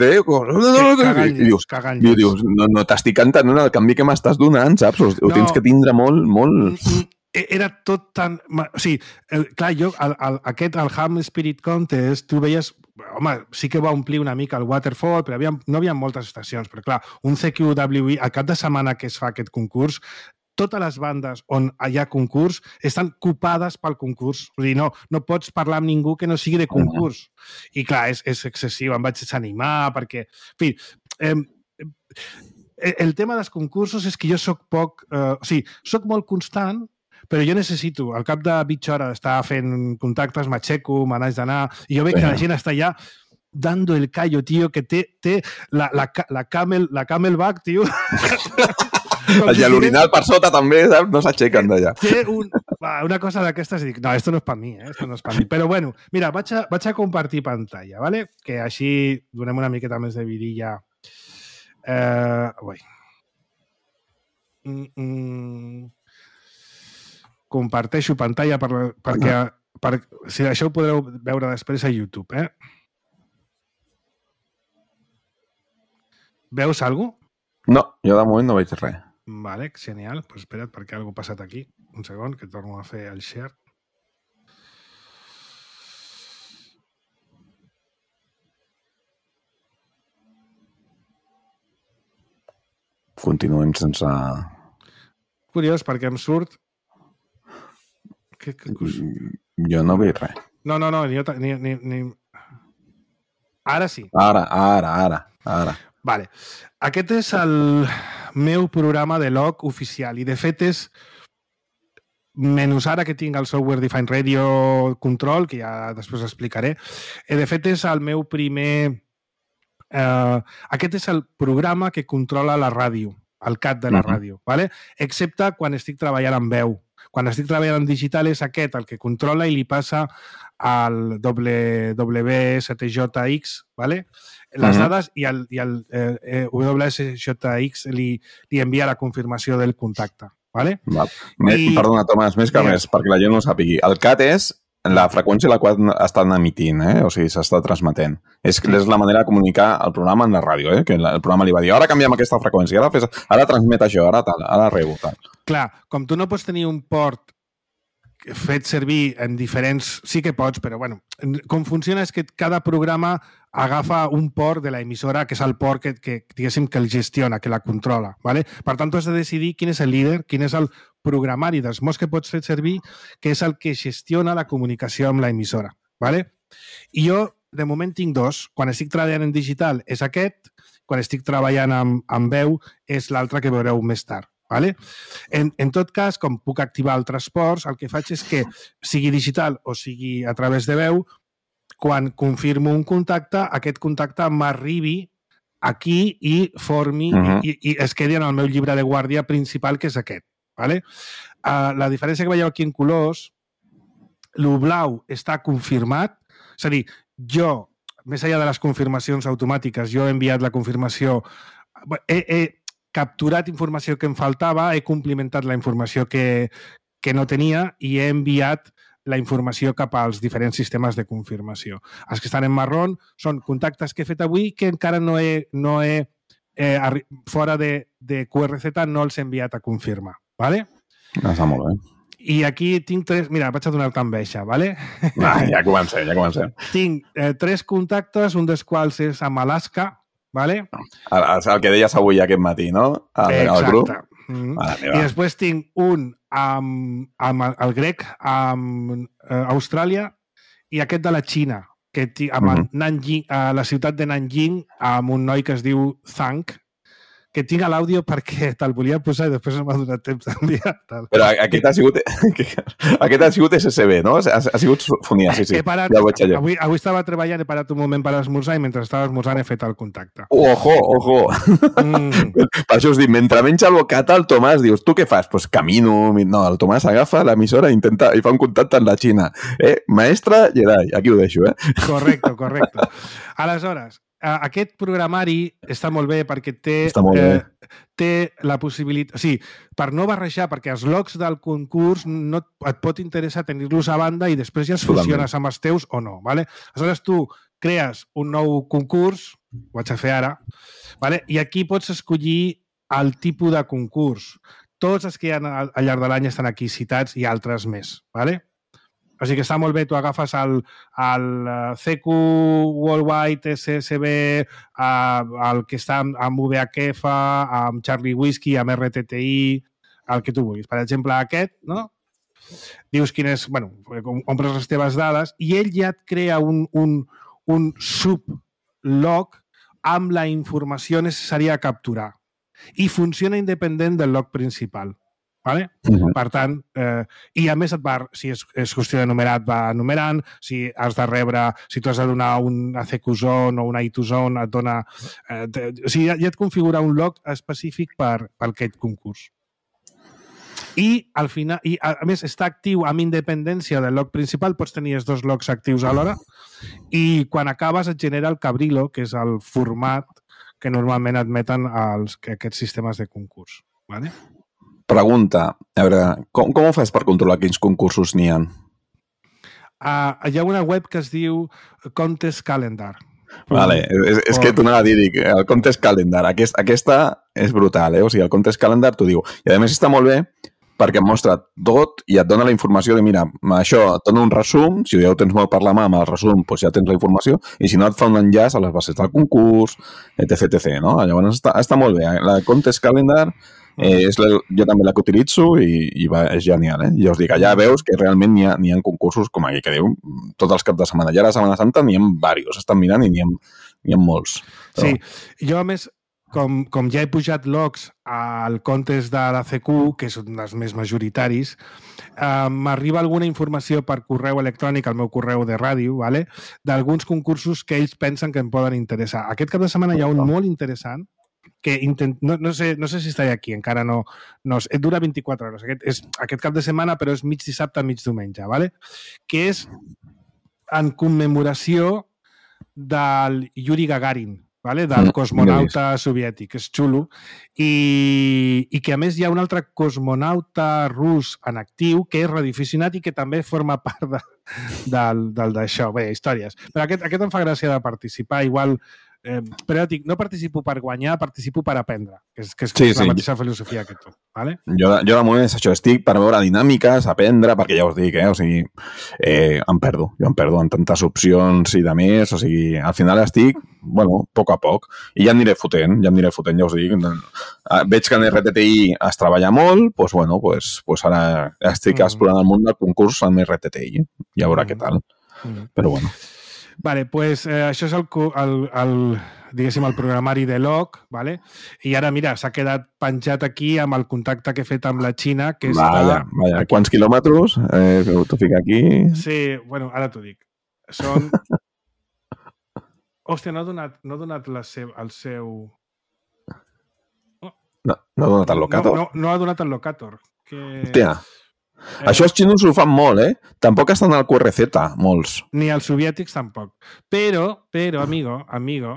Cagant I dius, no t'estic entenent el canvi que m'estàs donant, saps? Ho tens que tindre molt... Era tot tan... O sigui, clar, jo, el Ham Spirit Contest, tu veies... Home, sí que va omplir una mica el Waterfall, però no hi havia moltes estacions. Però, clar, un CQWI, al cap de setmana que es fa aquest concurs, totes les bandes on hi ha concurs estan copades pel concurs. Vull dir, no pots parlar amb ningú que no sigui de concurs. I, clar, és excessiu. Em vaig desanimar perquè... En fi, el tema dels concursos és que jo soc soc molt constant, però jo necessito, al cap de mitja hora d'estar fent contactes, m'aixeco, me n'haig d'anar, i jo veig que la gent està allà dando el callo, tio, que té la camelback, tio. El l'orinal per sota també, saps? No s'aixequen d'allà. Té una cosa d'aquestes i dic, no, esto no és per mi, esto no és per mi. Però bueno, mira, vaig a compartir pantalla, ¿vale? Que així donem una miqueta més de vidilla. Comparteixo pantalla perquè si això ho podreu veure després a YouTube, Veus alguna cosa? No, jo de moment no veig res. Vale, genial. Pues espera't, perquè alguna cosa ha passat aquí. Un segon, que torno a fer el share. Continuem sense... Curiós, perquè em surt... Jo no veig res. No, ni... Ara sí. Ara. Vale. Aquest és el meu programa de log oficial i de fet és, menys ara que tinc el Software Defined Radio Control, que ja després explicaré, de fet és el meu primer... aquest és el programa que controla la ràdio, el CAT de la ràdio, ¿vale? Excepte quan estic treballant amb veu. Quan estic treballant en digital és aquest el que controla i li passa al WSJX, ¿vale? Les dades i el WSJX li envia la confirmació del contacte, ¿vale? Perdona, Tomàs, més que res, perquè la gent no ho sàpigui. El CAT és la freqüència a la qual estan emitint, o sigui, s'està transmetent. És la manera de comunicar el programa en la ràdio, que el programa li va dir, ara canviem aquesta freqüència, ara transmet això, ara tal, ara rebo, tal. Clar, com tu no pots tenir un port fet servir en diferents... Sí que pots, però bueno, com funciona és que cada programa agafa un port de l'emissora, que és el port que diguéssim, que el gestiona, que la controla, ¿vale? Per tant, tu has de decidir quin és el líder, quin és el programari dels mots que pots fer servir, que és el que gestiona la comunicació amb l'emissora, ¿vale? I jo, de moment, tinc dos. Quan estic treballant en digital és aquest, quan estic treballant amb veu és l'altre que veureu més tard. ¿Vale? En tot cas, com puc activar altres ports, el que faig és que, sigui digital o sigui a través de veu, quan confirmo un contacte, aquest contacte m'arribi aquí i formi i es quedi en el meu llibre de guàrdia principal, que és aquest. ¿Vale? La diferència que veieu aquí en colors, el blau està confirmat, és a dir, jo, més enllà de les confirmacions automàtiques, jo he enviat la confirmació, he capturat informació que em faltava, he complementat la informació que no tenia i he enviat la informació cap als diferents sistemes de confirmació. Els que estan en marrón són contactes que he fet avui que encara no he fora de QRZ no els he enviat a confirmar. ¿Vale? Està molt bé. I aquí tinc tres... Mira, vaig a donar-te enveja, ¿vale? Ja comencem. Tinc 3 contactes, un dels quals és amb Alaska, ¿vale? El que deies avui aquest matí, no? El grup. I després tinc un amb el grec, amb Austràlia, i aquest de la Xina, que amb Nanjing, a la ciutat de Nanjing, amb un noi que es diu Zhang, que tinc a l'àudio perquè te'l volia posar i després no m'ha donat temps d'enviar. Però aquest ha sigut SSB, no? Ha sigut fonia, sí. He parat, ja ho veig allò. Avui estava treballant, he parat un moment per esmorzar i mentre estava esmorzant he fet el contacte. Ojo! Per això us dic, mentre menja el bocata, el Tomàs dius, tu què fas? Pues camino. No, el Tomàs agafa l'emissora i fa un contacte amb la Xina. Maestra Jedi, aquí ho deixo, Correcte. Aleshores, aquest programari està molt bé perquè té la possibilitat... O sigui, per no barrejar, perquè els logs del concurs no et pot interessar tenir-los a banda i després ja els fusiones amb els teus o no. ¿Vale? Aleshores, tu crees un nou concurs, ho vaig a fer ara, ¿vale? I aquí pots escollir el tipus de concurs. Tots els que hi ha al llarg de l'any estan aquí citats i altres més. ¿Vale? O sigui que està molt bé, tu agafes el CQ Worldwide, SSB, el que està amb VHF, amb Charlie Whiskey, amb RTTI, el que tu vulguis. Per exemple, aquest, no? Dius quin és... Bueno, omples les teves dades i ell ja et crea un sublog amb la informació necessària a capturar. I funciona independent del log principal. ¿Vale? Per tant, i a més si és qüestió de numerar, et va numerant, si has de rebre, si tu has de donar un ACQ zone o un A2 zone, et dona... o sigui, ja et configura un log específic per aquest concurs. I al final, i a més està actiu amb independència del log principal, pots tenir els 2 logs actius alhora, i quan acabes et genera el Cabrillo, que és el format que normalment admeten aquests sistemes de concurs. ¿Vale? Pregunta, a veure, com ho fas per controlar quins concursos n'hi ha? Hi ha una web que es diu Contest Calendar. Vale, és que t'ho anava a dir, el Contest Calendar, aquesta és brutal, O sigui, el Contest Calendar t'ho diu. I a més està molt bé perquè et mostra tot i et dona la informació de, mira, això et dona un resum, si ja ho tens molt per la mà amb el resum, doncs ja tens la informació, i si no et fa un enllaç a les bases del concurs, etc. No? Llavors està molt bé. La Contest Calendar jo també la que utilitzo i és genial, I ja us dic, allà veus que realment n'hi ha concursos, com aquí que diu, tots els caps de setmana. Ja a la Setmana Santa n'hi ha diversos, estan mirant i n'hi ha molts. Però... Sí, jo a més, com ja he pujat logs al contest de la CQ, que és un dels més majoritaris, m'arriba alguna informació per correu electrònic, al meu correu de ràdio, ¿vale? D'alguns concursos que ells pensen que em poden interessar. Aquest cap de setmana hi ha un molt interessant que no sé si estaré aquí, encara no dura 24 hores. Aquest cap de setmana, però és mig dissabte, mig diumenge, ¿vale? Que és en commemoració del Yuri Gagarin, ¿vale? Del cosmonauta soviètic. És xulo. I que, a més, hi ha un altre cosmonauta rus en actiu que és radioaficionat i que també forma part d'això. Bé, històries. Però aquest em fa gràcia de participar. Igual... però dic, no participo per guanyar, participo per aprendre, que és la mateixa filosofia que tu. ¿Vale? Jo de moment és això, estic per veure dinàmiques, aprendre, perquè ja us dic, o sigui, em perdo en tantes opcions i de més, o sigui, al final estic, bueno, a poc, i ja em aniré fotent, ja us dic. Veig que en RTTI es treballa molt, doncs, bueno, ara estic explorant el món del concurs amb RTTI, ja veurà què tal, però bueno. Vale, pues això és diguéssim, el programari de log, ¿vale? I ara, mira, s'ha quedat penjat aquí amb el contacte que he fet amb la Xina, que està... Vaja, quants quilòmetres? T'ho fica aquí? Sí, bueno, ara t'ho dic. Són... Hòstia, no ha donat el seu... No ha donat el locator? No ha donat el locator. Hòstia. Això els xinos ho fan molt, Tampoc estan al QRZ, molts. Ni els soviètics tampoc. Però, amigo,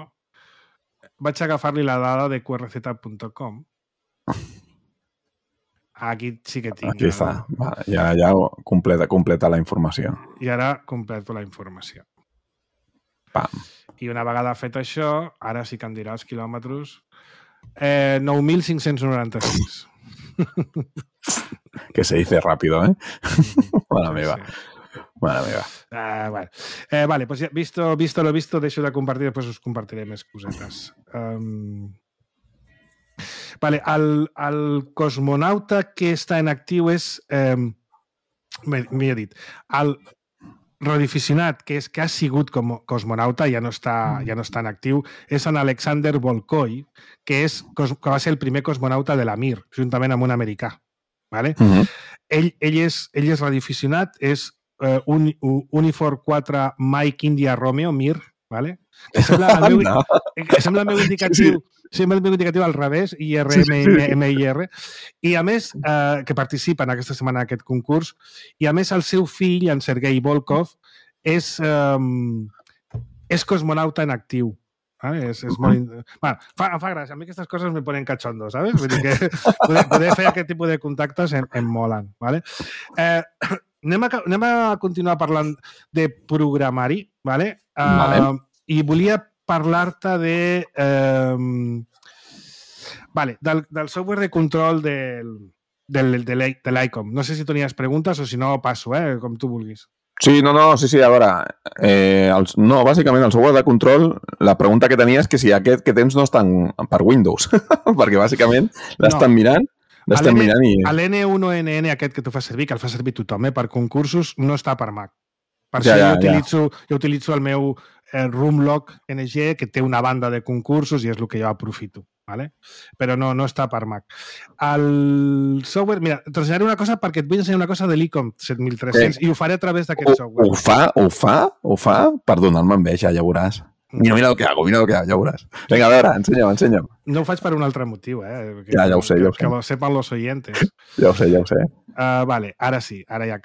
vaig agafar-li la dada de qrz.com Aquí sí que tinc. Aquí està. Va, ja completa la informació. I ara completo la informació. Pam. I una vegada fet això, ara sí que em dirà els quilòmetres, 9.596. Que se dice rápido, ¿eh? Mare meva. Mare meva. Vale, vale, pues ya, visto lo visto, deixo de compartir, després us compartiré més cosetes. Vale, el cosmonauta que està en actiu és... M'he dit. El radioaficionat que ha sigut com cosmonauta, ja no està en actiu, és en Alexander Volkoy, que va ser el primer cosmonauta de la Mir, juntament amb un americà. Vale? Ell és radioaficionat, és Unifor 4 Mike India Romeo, Mir, vale? Que sembla el meu indicatiu, sembla el meu indicatiu al revés, IRMIR, i a més, que participa en aquesta setmana en aquest concurs, i a més el seu fill, en Sergei Volkov, és cosmonauta en actiu. ¿Vale? És molt... Bueno, em fa gràcia. A mi aquestes coses me ponen cachondo, ¿sabes? Vull dir que poder fer aquest tipus de contactes em molen, ¿vale? Anem a continuar parlant de programari, ¿vale? I volia parlar-te del software de control de l'ICOM. No sé si tenies preguntes o si no passo, com tu vulguis. Sí, sí, a veure, bàsicament el software de control, la pregunta que tenia és que si aquest que tens no està per Windows, perquè bàsicament l'estan mirant, i... L'N1NN aquest que tu fas servir, que el fa servir tothom, per concursos, no està per Mac. Per això jo utilitzo el meu Roomlog NG, que té una banda de concursos i és el que jo aprofito. ¿Vale? Però no està per Mac. El software... Mira, t'ensenyaré una cosa perquè et vull ensenyar una cosa de l'ICOM 7300 i ho faré a través d'aquest software. Ho fa per donar-me enveja, ja veuràs. Mira lo que hago, ja veuràs. Vinga, a veure, ensenya'm. No ho faig per un altre motiu, Ja ho sé. Que lo sepan los oyentes. Ja ho sé. Vale, ara sí. Ara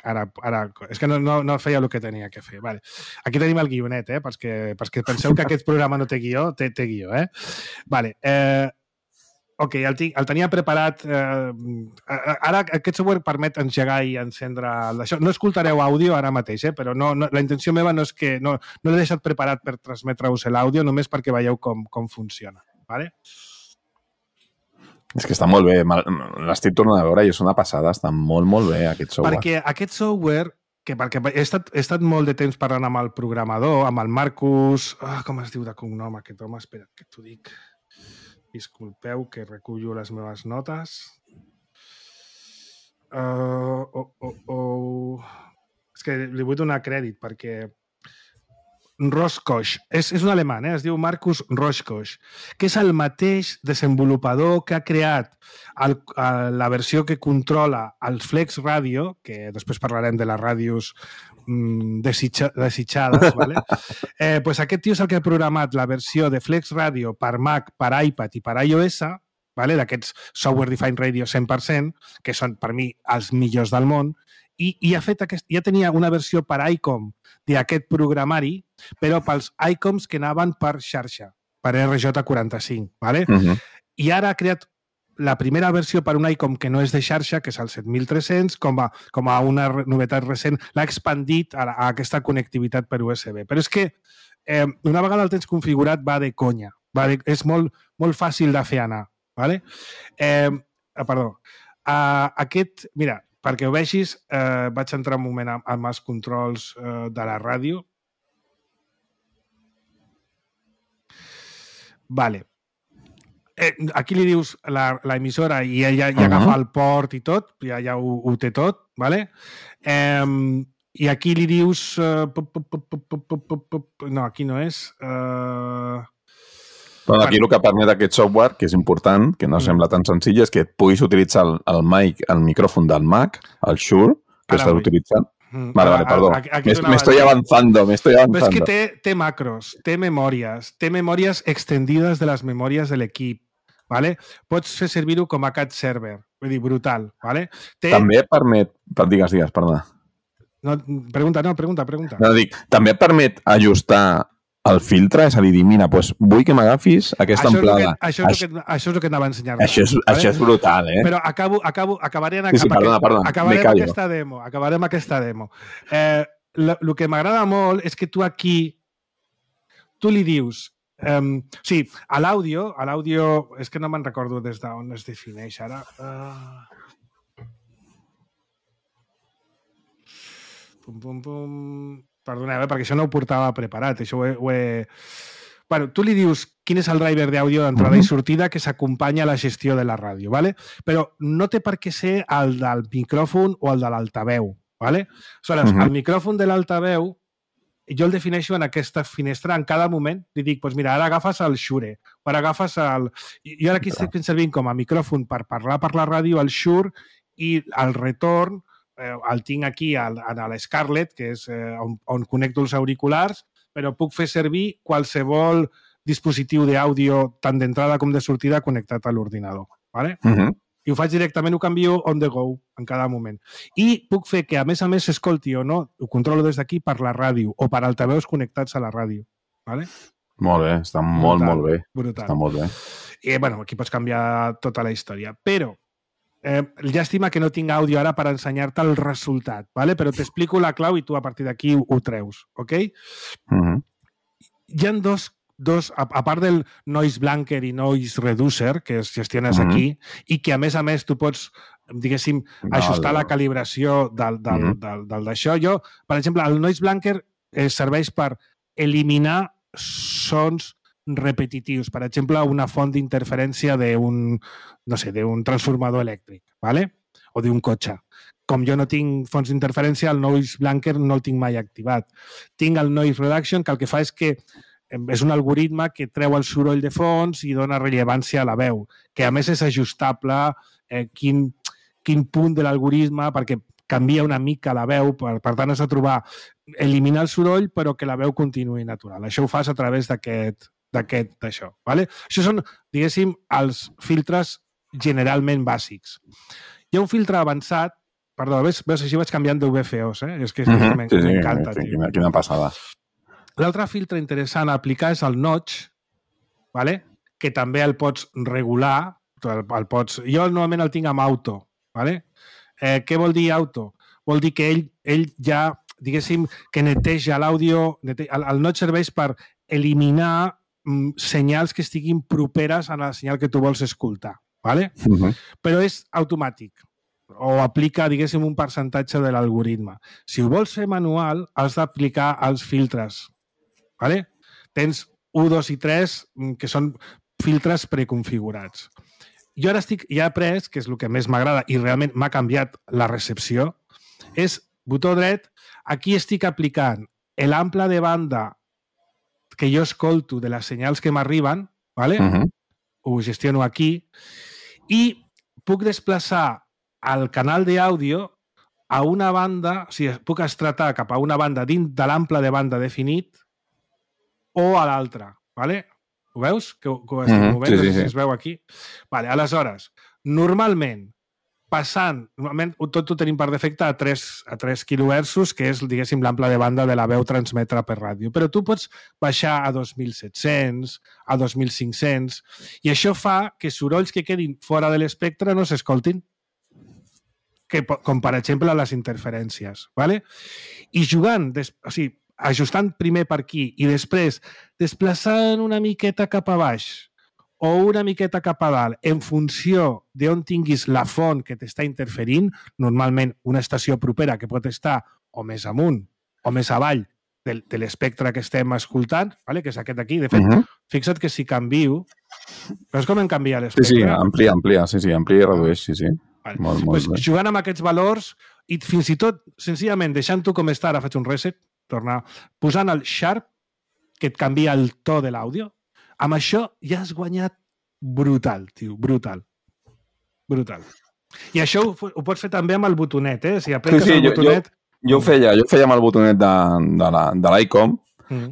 és que no feia el que tenia que fer. Vale. Aquí tenim el guionet, perquè penseu que aquest programa no té guió, té guió, Vale. Ok, el tenia preparat. Ara aquest software permet engegar i encendre això. No escoltareu àudio ara mateix, però la intenció meva no és que... No l'he deixat preparat per transmetre-us l'àudio, només perquè veieu com funciona. Vale? És que està molt bé. L'estic tornant a veure i és una passada. Està molt, molt bé, aquest software. Perquè aquest software... Perquè he estat molt de temps parlant amb el programador, amb el Marcus... com es diu de cognom aquest home? Espera, que t'ho dic... Disculpeu que recullo les meves notes. És que li vull donar crèdit perquè Roskos, és un alemany, es diu Marcus Roskos, que és el mateix desenvolupador que ha creat la versió que controla el Flex Radio, que després parlarem de les ràdios desitjades, ¿vale? Pues aquest tio és el que ha programat la versió de Flex Radio per Mac, per iPad i per iOS, ¿vale? D'aquests Software Defined Radio 100%, que són per mi els millors del món, i ja tenia una versió per ICOM d'aquest programari, però pels ICOMs que anaven per xarxa, per RJ45, ¿vale? I ara ha creat la primera versió per un ICOM que no és de xarxa, que és el 7300, com a una novetat recent, l'ha expandit a aquesta connectivitat per USB. Però és que una vegada el tens configurat va de conya. És molt fàcil de fer anar. ¿Vale? Mira, perquè ho vegis, vaig entrar un moment amb els controls de la ràdio. Vale. Aquí li dius l'emissora i ella ja agafa el port i tot, ja ho té tot, ¿vale? I aquí li dius... No, aquí no és... Aquí el que permet aquest software, que és important, que no sembla tan senzill, és que puguis utilitzar el mic, el micròfon del Mac, el Shure, que estàs utilitzant. Vale, perdó. Me estoy avanzando. Però és que té macros, té memòries extendides de les memòries de l'equip. ¿Vale? Pots fer servir-ho com a cat server. Vull dir, brutal. ¿Vale? També permet... Digues, perdona. Pregunta. No, dic, també permet ajustar el filtre, és a dir, mira, doncs vull que m'agafis aquesta amplada. Això és el que anava a ensenyar. Això és brutal, eh? Però acabaré Sí, perdona, acabarem aquesta demo. El que m'agrada molt és que tu aquí, tu li dius, sí, a l'àudio, és que no me'n recordo des d'on es defineix ara. Perdoneu, perquè això no ho portava preparat, això ho he... Bueno, tu li dius quin és el driver d'àudio d'entrada i sortida que s'acompanya a la gestió de la ràdio, ¿vale? Però no té per què ser el del micròfon o el de l'altaveu, ¿vale? Aleshores, el micròfon de l'altaveu jo el defineixo en aquesta finestra en cada moment. Li dic, doncs mira, ara agafes el Shure, ara agafes el... Jo ara aquí estic servint com a micròfon per parlar per la ràdio, el Shure, i el retorn el tinc aquí a l'Scarlett, que és on connecto els auriculars, però puc fer servir qualsevol dispositiu d'àudio, tant d'entrada com de sortida, connectat a l'ordinador. ¿Vale? I ho faig directament, ho canvio on the go en cada moment. I puc fer que, a més, s'escolti o no, ho controlo des d'aquí per la ràdio o per altaveus connectats a la ràdio. ¿Vale? Molt bé, està molt bé. Brutal. Està molt bé. I, bueno, aquí pots canviar tota la història. Però, llàstima que no tinc àudio ara per ensenyar-te el resultat, ¿vale? Però t'explico la clau i tu a partir d'aquí ho treus, ok? Hi ha dos, a part del noise blanker i noise reducer, que es gestiones aquí, i que, a més, tu pots, diguéssim, ajustar la calibració del d'això. Jo, per exemple, el noise blanker serveix per eliminar sons repetitius. Per exemple, una font d'interferència d'un transformador elèctric, ¿vale? O d'un cotxe. Com jo no tinc fonts d'interferència, el noise blanker no el tinc mai activat. Tinc el noise reduction, que el que fa és que és un algoritme que treu el soroll de fons i dona rellevància a la veu, que a més és ajustable quin punt de l'algoritme, perquè canvia una mica la veu, per tant has de trobar eliminar el soroll però que la veu continuï natural. Això ho fas a través d'això. ¿Vale? Això són, diguéssim, els filtres generalment bàsics. Hi ha un filtre avançat, perdó, veus, així vaig canviant d'UVFOs, és que m'encanta. Quina passada. L'altre filtre interessant a aplicar és el notch, ¿vale? Que també el pots regular, jo normalment el tinc amb auto. ¿Vale? Què vol dir auto? Vol dir que ell ja, diguéssim, que neteja l'àudio. El notch serveix per eliminar senyals que estiguin properes a la senyal que tu vols escoltar. ¿Vale? Però és automàtic o aplica, diguéssim, un percentatge de l'algoritme. Si ho vols fer manual, has d'aplicar els filtres. ¿Vale? Tens 1, 2 i 3, que són filtres preconfigurats. Jo ara ja he après, que és el que més m'agrada i realment m'ha canviat la recepció, és botó dret, aquí estic aplicant l'ample de banda que jo escolto de les senyals que m'arriben, ¿vale? Ho gestiono aquí, i puc desplaçar el canal d'àudio a una banda, o sigui, puc estratar cap a una banda dins de l'ample de banda definit o a l'altra, ¿vale? Ho veus? Que ho estic movent, no sé si es veu aquí. Vale, aleshores, normalment tot ho tenim per defecte a 3 kHz, que és, diguéssim, l'ample de banda de la veu transmetre per ràdio. Però tu pots baixar a 2.700, a 2.500, i això fa que sorolls que quedin fora de l'espectre no s'escoltin, com per exemple les interferències. ¿Vale? I jugant, o sigui, ajustant primer per aquí i després desplaçant una miqueta cap a baix o una miqueta cap a dalt en funció d'on tinguis la font que t'està interferint, normalment una estació propera que pot estar o més amunt o més avall de l'espectre que estem escoltant, ¿vale? Que és aquest aquí. De fet, fixa't que si canvio... Veus com em canvia l'espectre? Sí, amplia, amplia i redueix, sí. Vale. Molt bé. Jugant amb aquests valors i fins i tot, senzillament, deixant-ho com està, ara faig un reset, posant el sharp, que et canvia el to de l'àudio, amb això ja has guanyat brutal, tio, brutal. I això ho pots fer també amb el botonet, Si apretes el botonet... Jo ho feia amb el botonet de l'ICOM,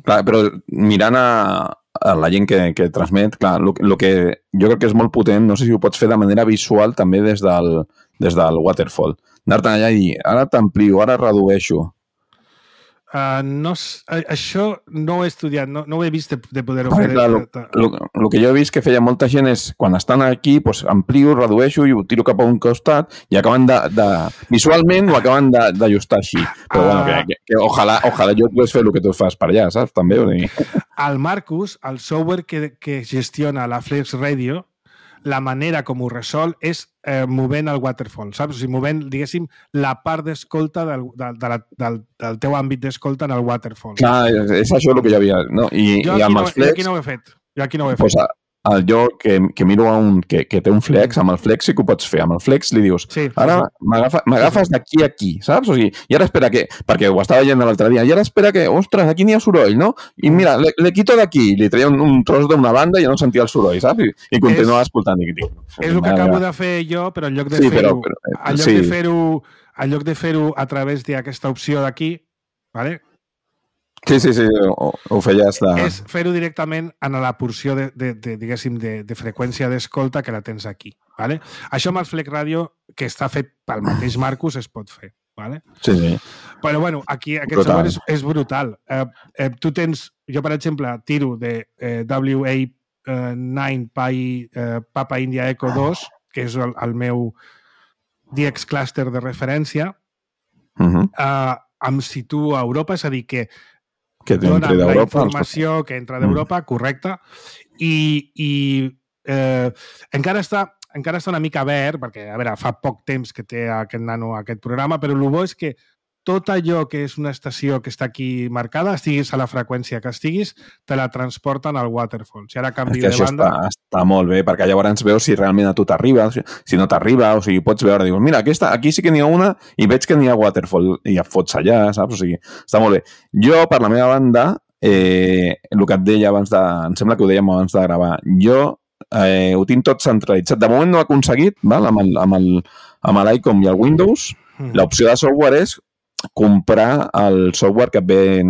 però mirant a la gent que transmet, clar, el que jo crec que és molt potent, no sé si ho pots fer de manera visual també des del waterfall. Anar-te'n allà i dir, ara t'amplio, ara redueixo. Això no ho he estudiat, no ho he vist de poder-ho fer. El que jo he vist que feia molta gent és, quan estan aquí, doncs amplio, redueixo i ho tiro cap a un costat i acaben visualment ho acaben d'ajustar així. Però bueno, que ojalà jo pogués fer el que tu fas per allà, saps? També. El Marcus, el software que gestiona la Flex Radio, la manera com ho resol és movent el waterfall, saps? O sigui, movent, diguéssim, la part d'escolta del teu àmbit d'escolta en el waterfall. Clar, és això el que jo havia... No? I amb els Flex... Jo aquí no ho he fet. Jo que miro a un que té un Flex, amb el Flex sí que ho pots fer. Amb el Flex li dius, ara m'agafes d'aquí a aquí, saps? O sigui, i ara espera que... Perquè ho estava veient l'altre dia. I ara espera que, ostres, aquí n'hi ha soroll, no? I mira, le quito d'aquí. Li treia un tros d'una banda i ja no sentia el soroll, saps? I continuava escoltant. És el que acabo de fer jo, però en lloc de fer-ho a través d'aquesta opció d'aquí, ¿vale? Sí, ho feies de... És fer-ho directament en la porció diguéssim, de freqüència d'escolta que la tens aquí. ¿Vale? Això amb el Flex Radio, que està fet pel mateix Marcus, es pot fer. ¿Vale? Sí. Però bueno, aquí aquest software és brutal. Tu tens, jo per exemple, tiro de WA9 Papa India Echo 2, que és el meu DX cluster de referència, em situo a Europa, és a dir, que dona la informació que entra d'Europa, correcte, i encara està una mica verd, perquè, a veure, fa poc temps que té aquest nano aquest programa, però el bo és que tot allò que és una estació que està aquí marcada, estiguis a la freqüència que estiguis, te la transporten al waterfall. Si ara canvi de banda... Està molt bé, perquè llavors veus si realment a tu t'arriba, si no t'arriba, o sigui, pots veure, dius, mira, aquí sí que n'hi ha una i veig que n'hi ha waterfall i et fots allà, saps? O sigui, està molt bé. Jo, per la meva banda, el que et deia abans em sembla que ho dèiem abans de gravar, jo ho tinc tot centralitzat. De moment no he aconseguit, val? Amb l'ICOM i el Windows, l'opció de software és comprar el software que ve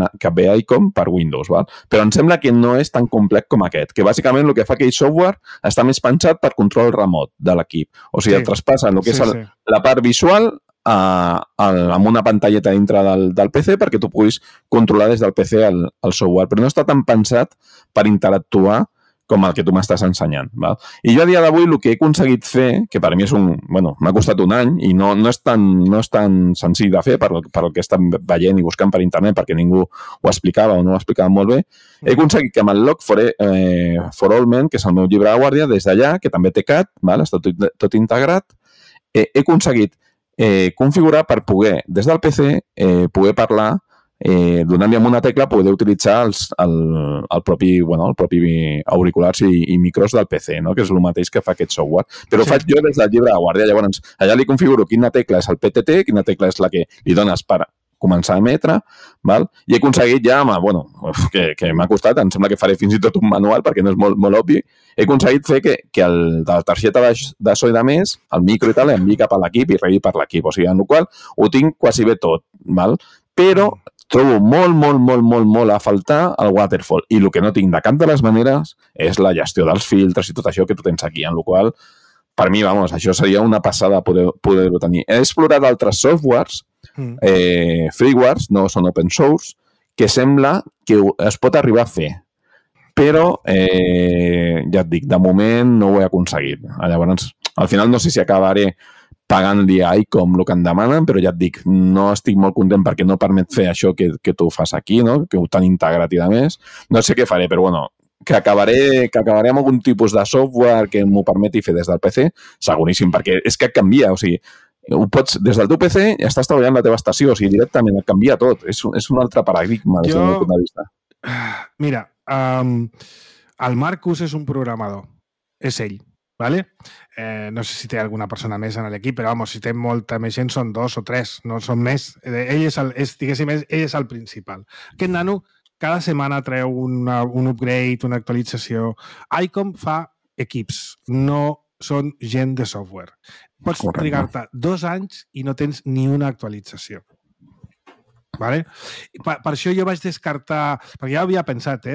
a ICOM per Windows, val? Però em sembla que no és tan complex com aquest, que bàsicament el que fa aquell software està més pensat per control remot de l'equip. O sigui, et traspassa el que és la part visual amb una pantalleta dintre del PC perquè tu puguis controlar des del PC el software, però no està tan pensat per interactuar com el que tu m'estàs ensenyant. Val? I jo a dia d'avui el que he aconseguit fer, que per mi és m'ha costat un any i no és tan senzill de fer per el que estan veient i buscant per internet perquè ningú ho explicava o no ho explicava molt bé, he aconseguit que amb el Log for All Men, que és el meu llibre de guàrdia, des d'allà, que també té CAT, val? Està tot integrat, he aconseguit configurar per poder, des del PC, poder parlar donant-li amb una tecla poder utilitzar el propi auriculars i micros del PC, no? Que és el mateix que fa aquest software. Però ho faig jo des del llibre de guàrdia. Llavors, allà li configuro quina tecla és el PTT, quina tecla és la que li dones per començar a emetre, val? I he aconseguit ja, que m'ha costat, em sembla que faré fins i tot un manual perquè no és molt obvi, he aconseguit fer que de la targeta de so i de més, el micro i tal, enviï cap a l'equip i rebi per l'equip. O sigui, en el qual ho tinc quasi bé tot, val? Però trobo molt a faltar el waterfall. I el que no tinc de cap de les maneres és la gestió dels filtres i tot això que tu tens aquí, en el qual, per mi, això seria una passada poder-ho tenir. He explorat altres softwares, freewares, no són open source, que sembla que es pot arribar a fer. Però, ja et dic, de moment no ho he aconseguit. Llavors, al final no sé si acabaré pagant-li a ICOM el que em demanen, però ja et dic, no estic molt content perquè no permet fer això que tu fas aquí, no? Que ho tan integrat i de més. No sé què faré, però bueno, que acabaré amb algun tipus de software que m'ho permeti fer des del PC, seguríssim, perquè és que et canvia, o sigui, ho pots, des del teu PC estàs treballant la teva estació, o sigui, directament et canvia tot. És un altre paradigma des del meu punt de vista. Mira, el Marcus és un programador, és ell. ¿Vale? No sé si té alguna persona més en l'equip, però si té molta més gent són 2 o 3, no són més. Ell és el principal. Aquest nano cada setmana treu un upgrade, una actualització. ICOM fa equips, no són gent de software. Pots trigar-te 2 anys i no tens ni una actualització. ¿Vale? Per això jo vaig descartar, perquè ja havia pensat,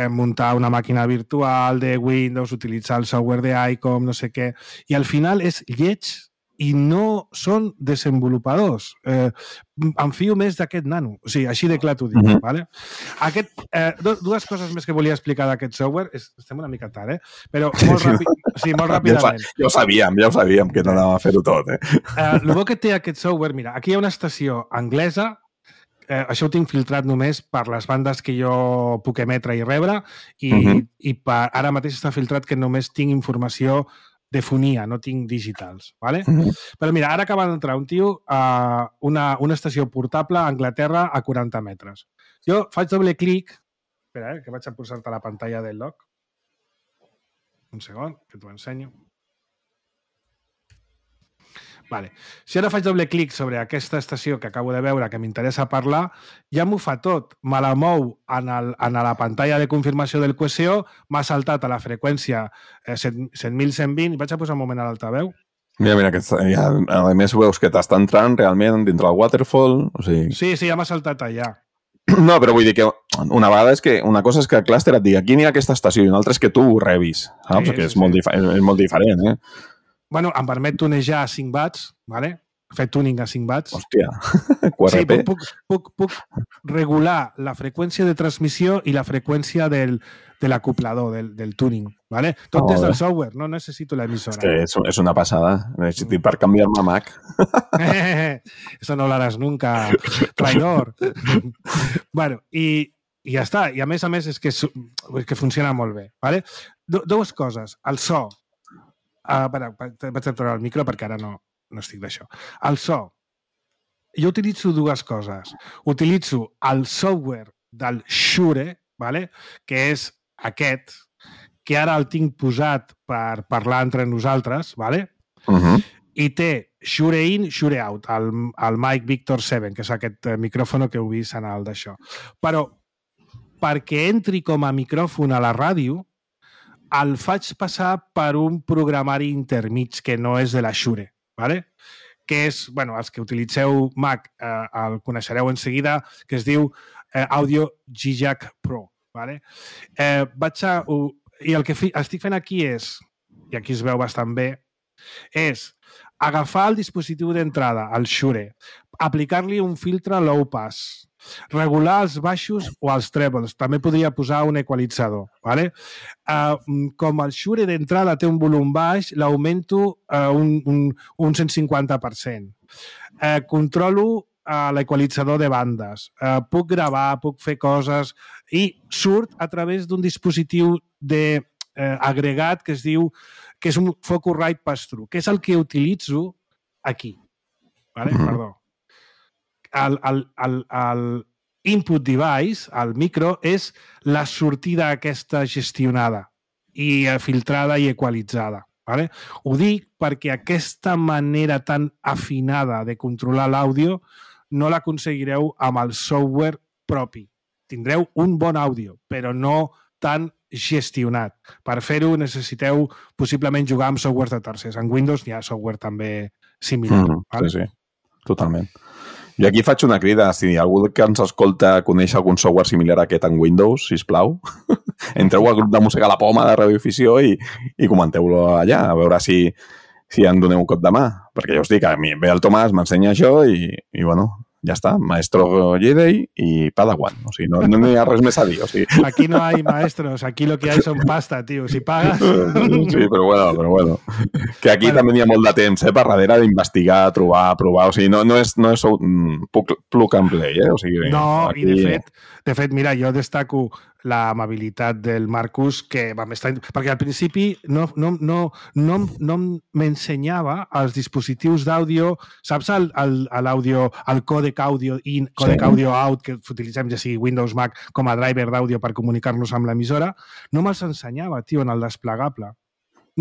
muntar una màquina virtual de Windows, utilitzar el software d'ICOM, no sé què, i al final és lleig i no són desenvolupadors. Em fio més d'aquest nano. O sigui, així de clar t'ho dic. Vale? Dues coses més que volia explicar d'aquest software. Estem una mica tard, però molt ràpidament. Ja ho sabíem que t'anàvem a fer-ho tot. El bo que té aquest software, mira, aquí hi ha una estació anglesa, això ho tinc filtrat només per les bandes que jo puc emetre i rebre, i ara mateix està filtrat que només tinc informació de fonia, no tinc digitals. ¿Vale? Però mira, ara acaba d'entrar un tio a una estació portable a Anglaterra a 40 metres. Jo faig doble clic, espera, que vaig a posar-te la pantalla del log. Un segon, que t'ho ensenyo. Vale. Si ara faig doble clic sobre aquesta estació que acabo de veure, que m'interessa parlar, ja m'ho fa tot. Me la mou en la pantalla de confirmació del QSO, m'ha saltat a la freqüència 7.120, i vaig a posar un moment a l'altaveu. Mira, que a més veus que t'està entrant realment dintre el waterfall. O sigui... Sí, ja m'ha saltat allà. No, però vull dir que una vegada una cosa és que el clúster et digui aquí n'hi ha aquesta estació i una altra és que tu ho rebis, saps? Sí, que és molt diferent, Bueno, em permet tunejar a 5 watts, ¿vale? Fer tuning a 5 watts. Hòstia, QRP. Sí, puc regular la freqüència de transmissió i la freqüència de l'acoplador, del tuning, ¿vale? Tot des del software, no necessito l'emissora. És una passada. Necessito per canviar-me a Mac. Eso no lo harás nunca, traidor. Bueno, i ja està. I a més és que funciona molt bé, ¿vale? Dues coses. El so. Vaig a treure el micro perquè ara no estic d'això. El so. Jo utilitzo dues coses. Utilitzo el software del Shure, ¿vale? Que és aquest, que ara el tinc posat per parlar entre nosaltres, ¿vale? I té Shure In, Shure Out, el Mic Victor 7, que és aquest micròfon que heu vist en el d'això. Però perquè entri com a micròfon a la ràdio, el faig passar per un programari intermig que no és de la Shure, ¿vale? Que és, bueno, els que utilitzeu Mac el coneixereu en seguida, que es diu Audio G-Jack Pro, ¿vale? I el que estic fent aquí és, i aquí es veu bastant bé, és agafar el dispositiu d'entrada, el Shure, aplicar-li un filtre low pass, regular els baixos o els trebles. També podria posar un equalitzador. ¿Vale? Com el Shure d'entrada té un volum baix, l'augmento un 150%. Controlo l'equalitzador de bandes. Puc gravar, puc fer coses i surt a través d'un dispositiu agregat que es diu que és un Focusrite Pass-Through, que és el que utilitzo aquí. ¿Vale? Perdó. El input device, el micro, és la sortida aquesta gestionada i filtrada i equalitzada. ¿Vale? Ho dic perquè aquesta manera tan afinada de controlar l'àudio no l'aconseguireu amb el software propi. Tindreu un bon àudio, però no tan gestionat. Per fer-ho necessiteu possiblement jugar amb software de tercers. En Windows hi ha software també similar. ¿Vale? Sí, totalment. Jo aquí faig una crida. Si algú que ens escolta coneix algun software similar a aquest en Windows, sisplau, entreu al grup de Música a la Poma de Radioafició i comenteu-lo allà, a veure si en doneu un cop de mà. Perquè ja us dic, a mi ve el Tomàs, m'ensenya això i bueno, ja està, maestro Jedi i Padawan. O sigui, no hi ha res més a dir. O sigui... Aquí no hay maestros, aquí lo que hay son pasta, tio. Si pagas... Sí, però bueno. Que aquí també hi ha molt de temps, per darrere d'investigar, trobar, provar. O sigui, no és plug and play, O sigui, no, aquí... i de fet, mira, jo destaco l'amabilitat del Marcus, que vam estar... Perquè al principi no m'ensenyava els dispositius d'àudio, saps l'àudio, el còdec àudio in, còdec àudio out, que utilitzem ja sigui Windows, Mac, com a driver d'àudio per comunicar-nos amb l'emissora, no me'ls ensenyava, tio, en el desplegable.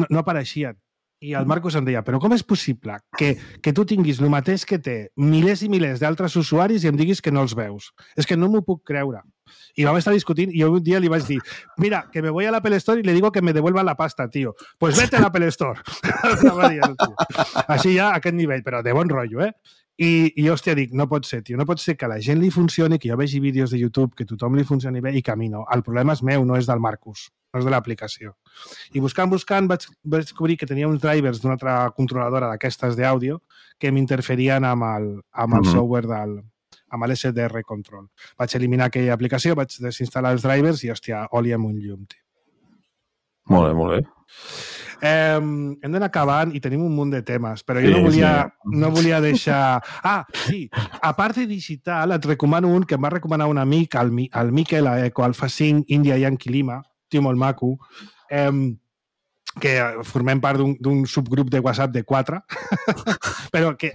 No apareixia. I el Marcus em deia, però com és possible que tu tinguis el mateix que té milers i milers d'altres usuaris i em diguis que no els veus? És que no m'ho puc creure. I vam estar discutint i un dia li vaig dir, mira, que me voy a l'Apple Store y le digo que me devuelva la pasta, tío. Pues vete a l'Apple Store. Així ja, a aquest nivell, però de bon rotllo, I hòstia, dic, no pot ser, tio, no pot ser que a la gent li funcioni, que jo vegi vídeos de YouTube, que tothom li funcioni bé i que a mi no. El problema és meu, no és del Marcus. no és de l'aplicació. I buscant, vaig descobrir que tenia uns drivers d'una altra controladora d'aquestes d'àudio que m'interferien amb el software amb l'SDR Control. Vaig eliminar aquella aplicació, vaig desinstal·lar els drivers i, hòstia, oli amb un llum, tio. Molt bé, molt bé. Hem d'anar acabant i tenim un munt de temes, però jo no volia deixar... Ah, sí, a part de digital, et recomano un que em va recomanar un amic, el Miquel, a Eco Alfa 5, India Yankee Lima, tio molt maco, que formem part d'un subgrup de WhatsApp de 4, però que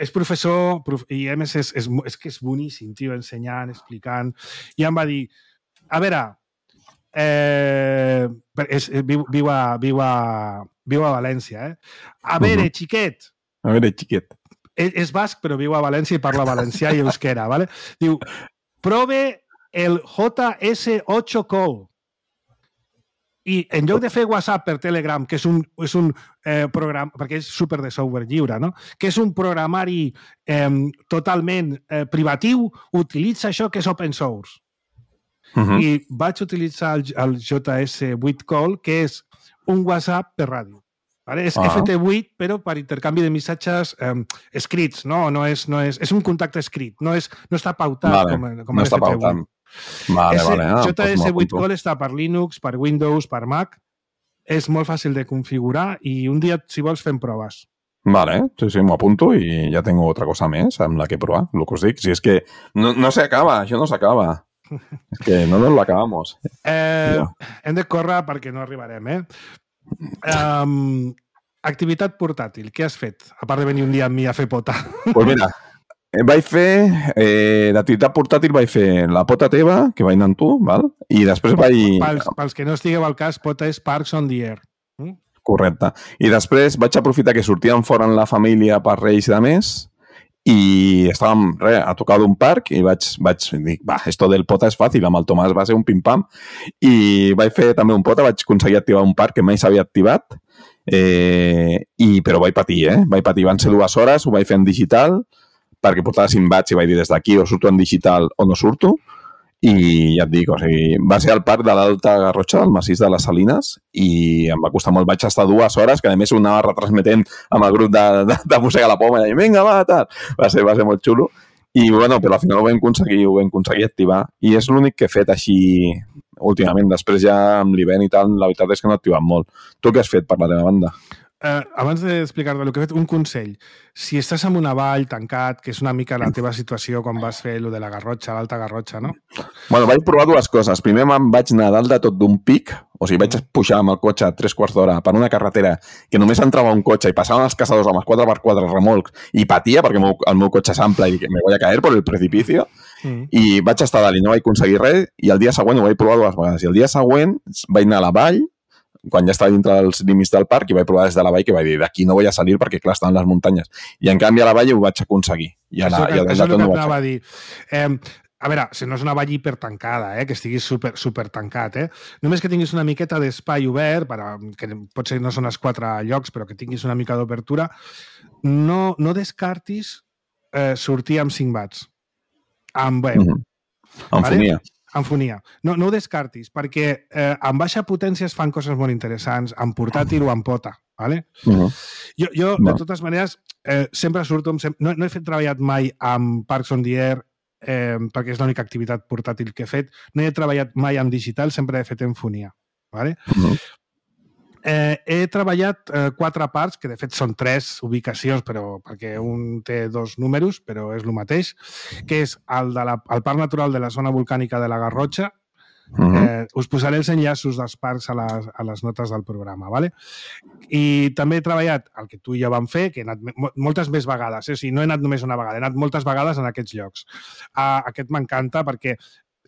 és professor i a més és que és boníssim, tio, ensenyant, explicant, i em va dir, a veure, viu a València, A veure, xiquet. A veure, xiquet. És basc, però viu a València i parla valencià i euskera, ¿vale? Diu, prove el JS8 Call. I en lloc de fer WhatsApp per Telegram, que és un programa, perquè és super de software lliure, no? Que és un programari totalment privatiu, utilitza això que és open source. I vaig utilitzar el JS8 Call, que és un WhatsApp per ràdio. Vale? És FT8, però per intercanvi de missatges escrits, no? És un contacte escrit, no està pautat com no està pautat. JS8 Call està per Linux, per Windows, per Mac. És molt fàcil de configurar i un dia, si vols, fem proves. Vale, sí, m'ho apunto i ja tengo otra cosa més amb la que provar, el que us dic. Si és que no s'acaba, això no s'acaba. És que no nos lo acabamos. Hem de córrer perquè no arribarem, activitat portàtil, què has fet? A part de venir un dia amb mi a fer pota. Pues mira, vaig fer l'activitat portàtil, vaig fer la pota teva, que vaig anar amb tu, val? I després vaig... Pels que no estigueu al cas, pota és Parks on the Air. Correcte. I després vaig aprofitar que sortíem fora en la família per Reis i de més, i estàvem a tocar d'un parc i vaig dir, esto del pota és fàcil, amb el Tomàs va ser un pim-pam, i vaig fer també un pota, vaig aconseguir activar un parc que mai s'havia activat, però vaig patir, van ser 2 hores, ho vaig fer en digital, perquè portava 5 watts i vaig dir des d'aquí o surto en digital o no surto, i ja et dic, o sigui, va ser al parc de l'Alta Garrotxa, del massís de les Salines, i em va costar molt, vaig estar 2 hores, que a més ho anava retransmetent amb el grup de Mossega la Poma, i vinga, va, tal, va ser molt xulo, i bueno, però al final ho vam aconseguir activar, i és l'únic que he fet així últimament, després ja amb l'hivern i tal, la veritat és que no he activat molt. Tu què has fet per la teva banda? Abans d'explicar-te el que he fet, un consell. Si estàs en una vall tancat, que és una mica la teva situació quan vas fer lo de la Garrotxa, l'Alta Garrotxa, no? Bueno, vaig provar 2 coses. Primer me'n vaig anar dalt de tot d'un pic, o sigui, vaig pujar amb el cotxe 3/4 d'hora per una carretera que només entrava un cotxe i passaven els caçadors amb els 4x4 remolcs i patia perquè el meu cotxe s'ample i me voy a caer por el precipicio. I vaig estar dalt i no vaig aconseguir res, i el dia següent ho vaig provar 2 vegades. I el dia següent vaig anar a la vall, quan ja estava dintre dels límits del parc, i vaig provar des de la vall, que vaig dir, d'aquí no vull a salir perquè, clar, estan les muntanyes. I, en canvi, a la vall ho vaig aconseguir. Això és el que anava a dir. A veure, si no és una vall hipertancada, que estiguis super tancat, només que tinguis una miqueta d'espai obert, que potser no són els 4 llocs, però que tinguis una mica d'obertura, no descartis sortir amb 5 watts. Amb veu. Amb fonia. En fonia. No ho descartis, perquè amb baixa potència es fan coses molt interessants, amb portàtil o amb pota. ¿Vale? Jo, de totes maneres, sempre surto... No he treballat mai amb Parks on the Air, perquè és l'única activitat portàtil que he fet. No he treballat mai amb digital, sempre he fet en fonia. ¿Vale? He treballat 4 parcs, que de fet són 3 ubicacions, però perquè un té 2 números, però és el mateix, que és el Parc Natural de la Zona Volcànica de la Garrotxa. Us posaré els enllaços dels parcs a les notes del programa. ¿Vale? I també he treballat el que tu i jo vam fer, que he anat moltes més vegades. O sigui, no he anat només una vegada, he anat moltes vegades en aquests llocs. Aquest m'encanta perquè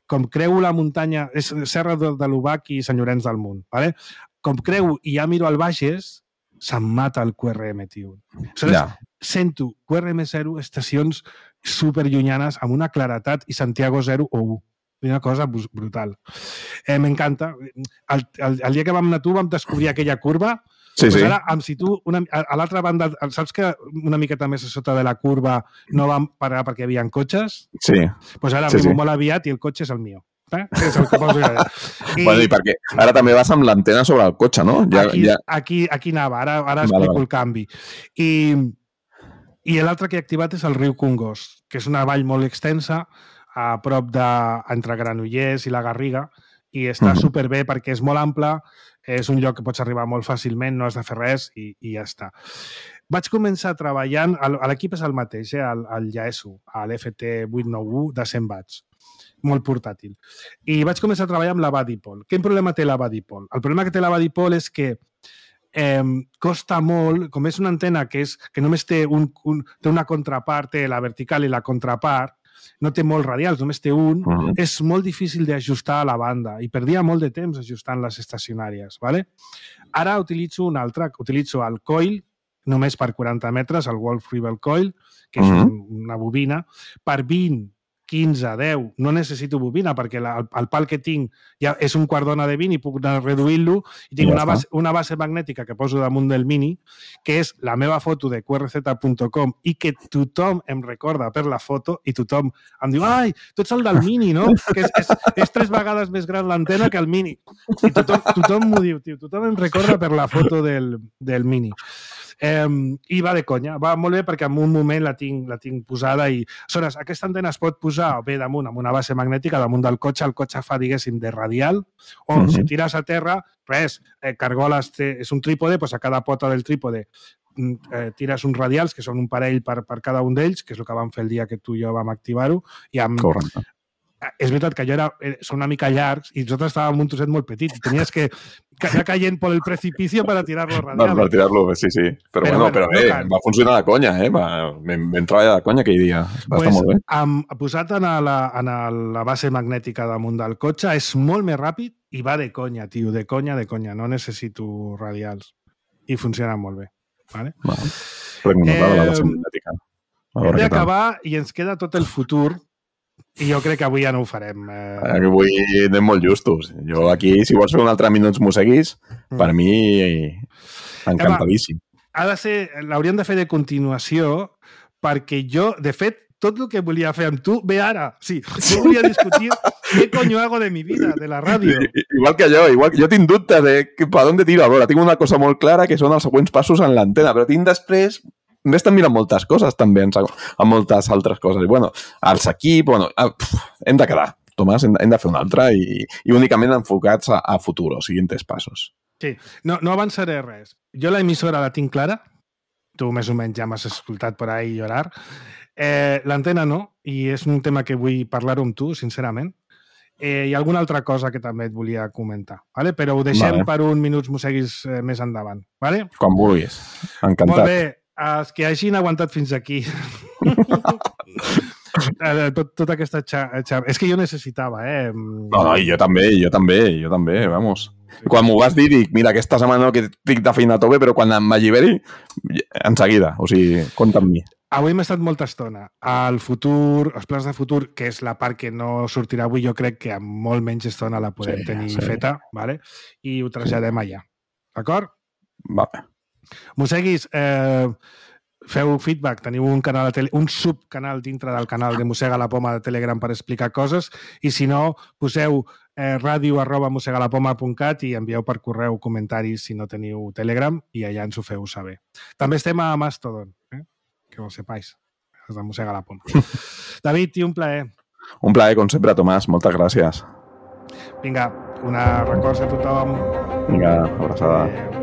com creu la muntanya, és Serra de l'Ubac i Sant Llorenç del Munt. ¿Vale? Com creu i ja miro al Bages, se'm mata el QRM, tio. Sento QRM0, estacions superllunyanes amb una claretat i Santiago 0 o 1. Una cosa brutal. M'encanta. El dia que vam anar tu vam descobrir aquella curva. Sí, sí. Ara, si tu, a l'altra banda, saps que una miqueta més a sota de la curva no vam parar perquè hi havia cotxes? Sí. Doncs ara arribo molt aviat i el cotxe és el meu. És el que poso jo. Bueno, i perquè ara també vas amb l'antena sobre el cotxe, no? Aquí anava, ara explico el canvi. I l'altre que he activat és el riu Congost, que és una vall molt extensa, a prop entre Granollers i la Garriga, i està superbé perquè és molt ample, és un lloc que pots arribar molt fàcilment, no has de fer res i ja està. Vaig començar treballant, l'equip és el mateix, el Yaesu, a l'FT891 de 100 watts, molt portàtil. I vaig començar a treballar amb la Badipol. Quin problema té la Badipol? El problema que té la Badipol és que costa molt, com és una antena que només té una contrapart, té la vertical i la contrapart, no té molts radials, només té un, és molt difícil d'ajustar a la banda i perdia molt de temps ajustant les estacionàries. ¿Vale? Ara utilitzo un altre, utilitzo el coil, només per 40 metres, el Wolf Rebel Coil, que és una bobina, per 20, 15, 10, no necessito bobina perquè el pal que tinc ja és un quart d'ona de 20 i puc anar reduint-lo i tinc una base magnètica que poso damunt del Mini, que és la meva foto de qrz.com i que tothom em recorda per la foto i tothom em diu, ai, tu ets el del Mini, no? Que és 3 vegades més gran l'antena que el Mini. I tothom m'ho diu, tio, tothom em recorda per la foto del Mini. I va de conya, va molt bé perquè en un moment la tinc posada i aleshores aquesta antena es pot posar bé damunt amb una base magnètica damunt del cotxe, el cotxe fa diguéssim de radial o si tires a terra, res, cargoles és un trípode, doncs a cada pota del trípode tires uns radials que són un parell per cada un d'ells, que és el que vam fer el dia que tu i jo vam activar-ho i amb... Correcte. És veritat que són una mica llargs i nosaltres estàvem en un trosset molt petit i tenies que anar caient per el precipicio per a tirar-lo radial. Per tirar-lo, sí. Però va funcionar de conya, vam treballar de conya aquell dia. Va estar molt bé. Posat en la base magnètica damunt del cotxe és molt més ràpid i va de conya, tio, de conya. No necessito radials. I funciona molt bé. Vale? La base magnètica. Hem d'acabar i ens queda tot el futur. I jo crec que avui ja no ho farem. Avui anem molt justos. Jo aquí, si vols fer un altre minuts mosseguis, per mi encantadíssim. L'hauríem de fer de continuació perquè jo, de fet, tot el que volia fer amb tu ve ara. Sí, jo volia discutir què coño hago de mi vida, de la ràdio. Igual que jo tinc dubtes de per on tiro. A veure, tinc una cosa molt clara que són els següents passos en l'antena, però tinc després... M'he estat mirant moltes coses també, amb moltes altres coses. I, bueno, els equips... hem de quedar, Tomàs, hem de fer un altre i únicament enfocats a futur, o siguientes passos. Sí, no avançaré res. Jo la emissora la tinc clara, tu més o menys ja m'has escoltat per ahí llorar. L'antena no, i és un tema que vull parlar-ho amb tu, sincerament. Hi ha alguna altra cosa que també et volia comentar, ¿vale? Però ho deixem per un minuts mosseguis més endavant. ¿Vale? Quan vulguis, encantat. Molt bé. Els que hagin aguantat fins aquí tota aquesta xarxa. És que jo necessitava, No, jo també, vamos. Quan m'ho vas dir, dic, mira, aquesta setmana que estic de feina a tope, però quan m'alliberi, en seguida, o sigui, compta amb mi. Avui hem estat molta estona. El futur, els plans de futur, que és la part que no sortirà avui, jo crec que amb molt menys estona la podem tenir feta, ¿vale? I ho traslladem allà. D'acord? Vale. Mosseguis, feu feedback, teniu un subcanal dintre del canal de Mossega la Poma de Telegram per explicar coses i si no, poseu radio@mossegalapoma.cat i envieu per correu comentaris si no teniu Telegram i allà ens ho feu saber. També estem a Mastodon, que ho sepais, els de Mossega la Poma. David, tio, un plaer. Un plaer, com sempre, Tomàs, moltes gràcies. Vinga, una records a tothom. Vinga, abraçada.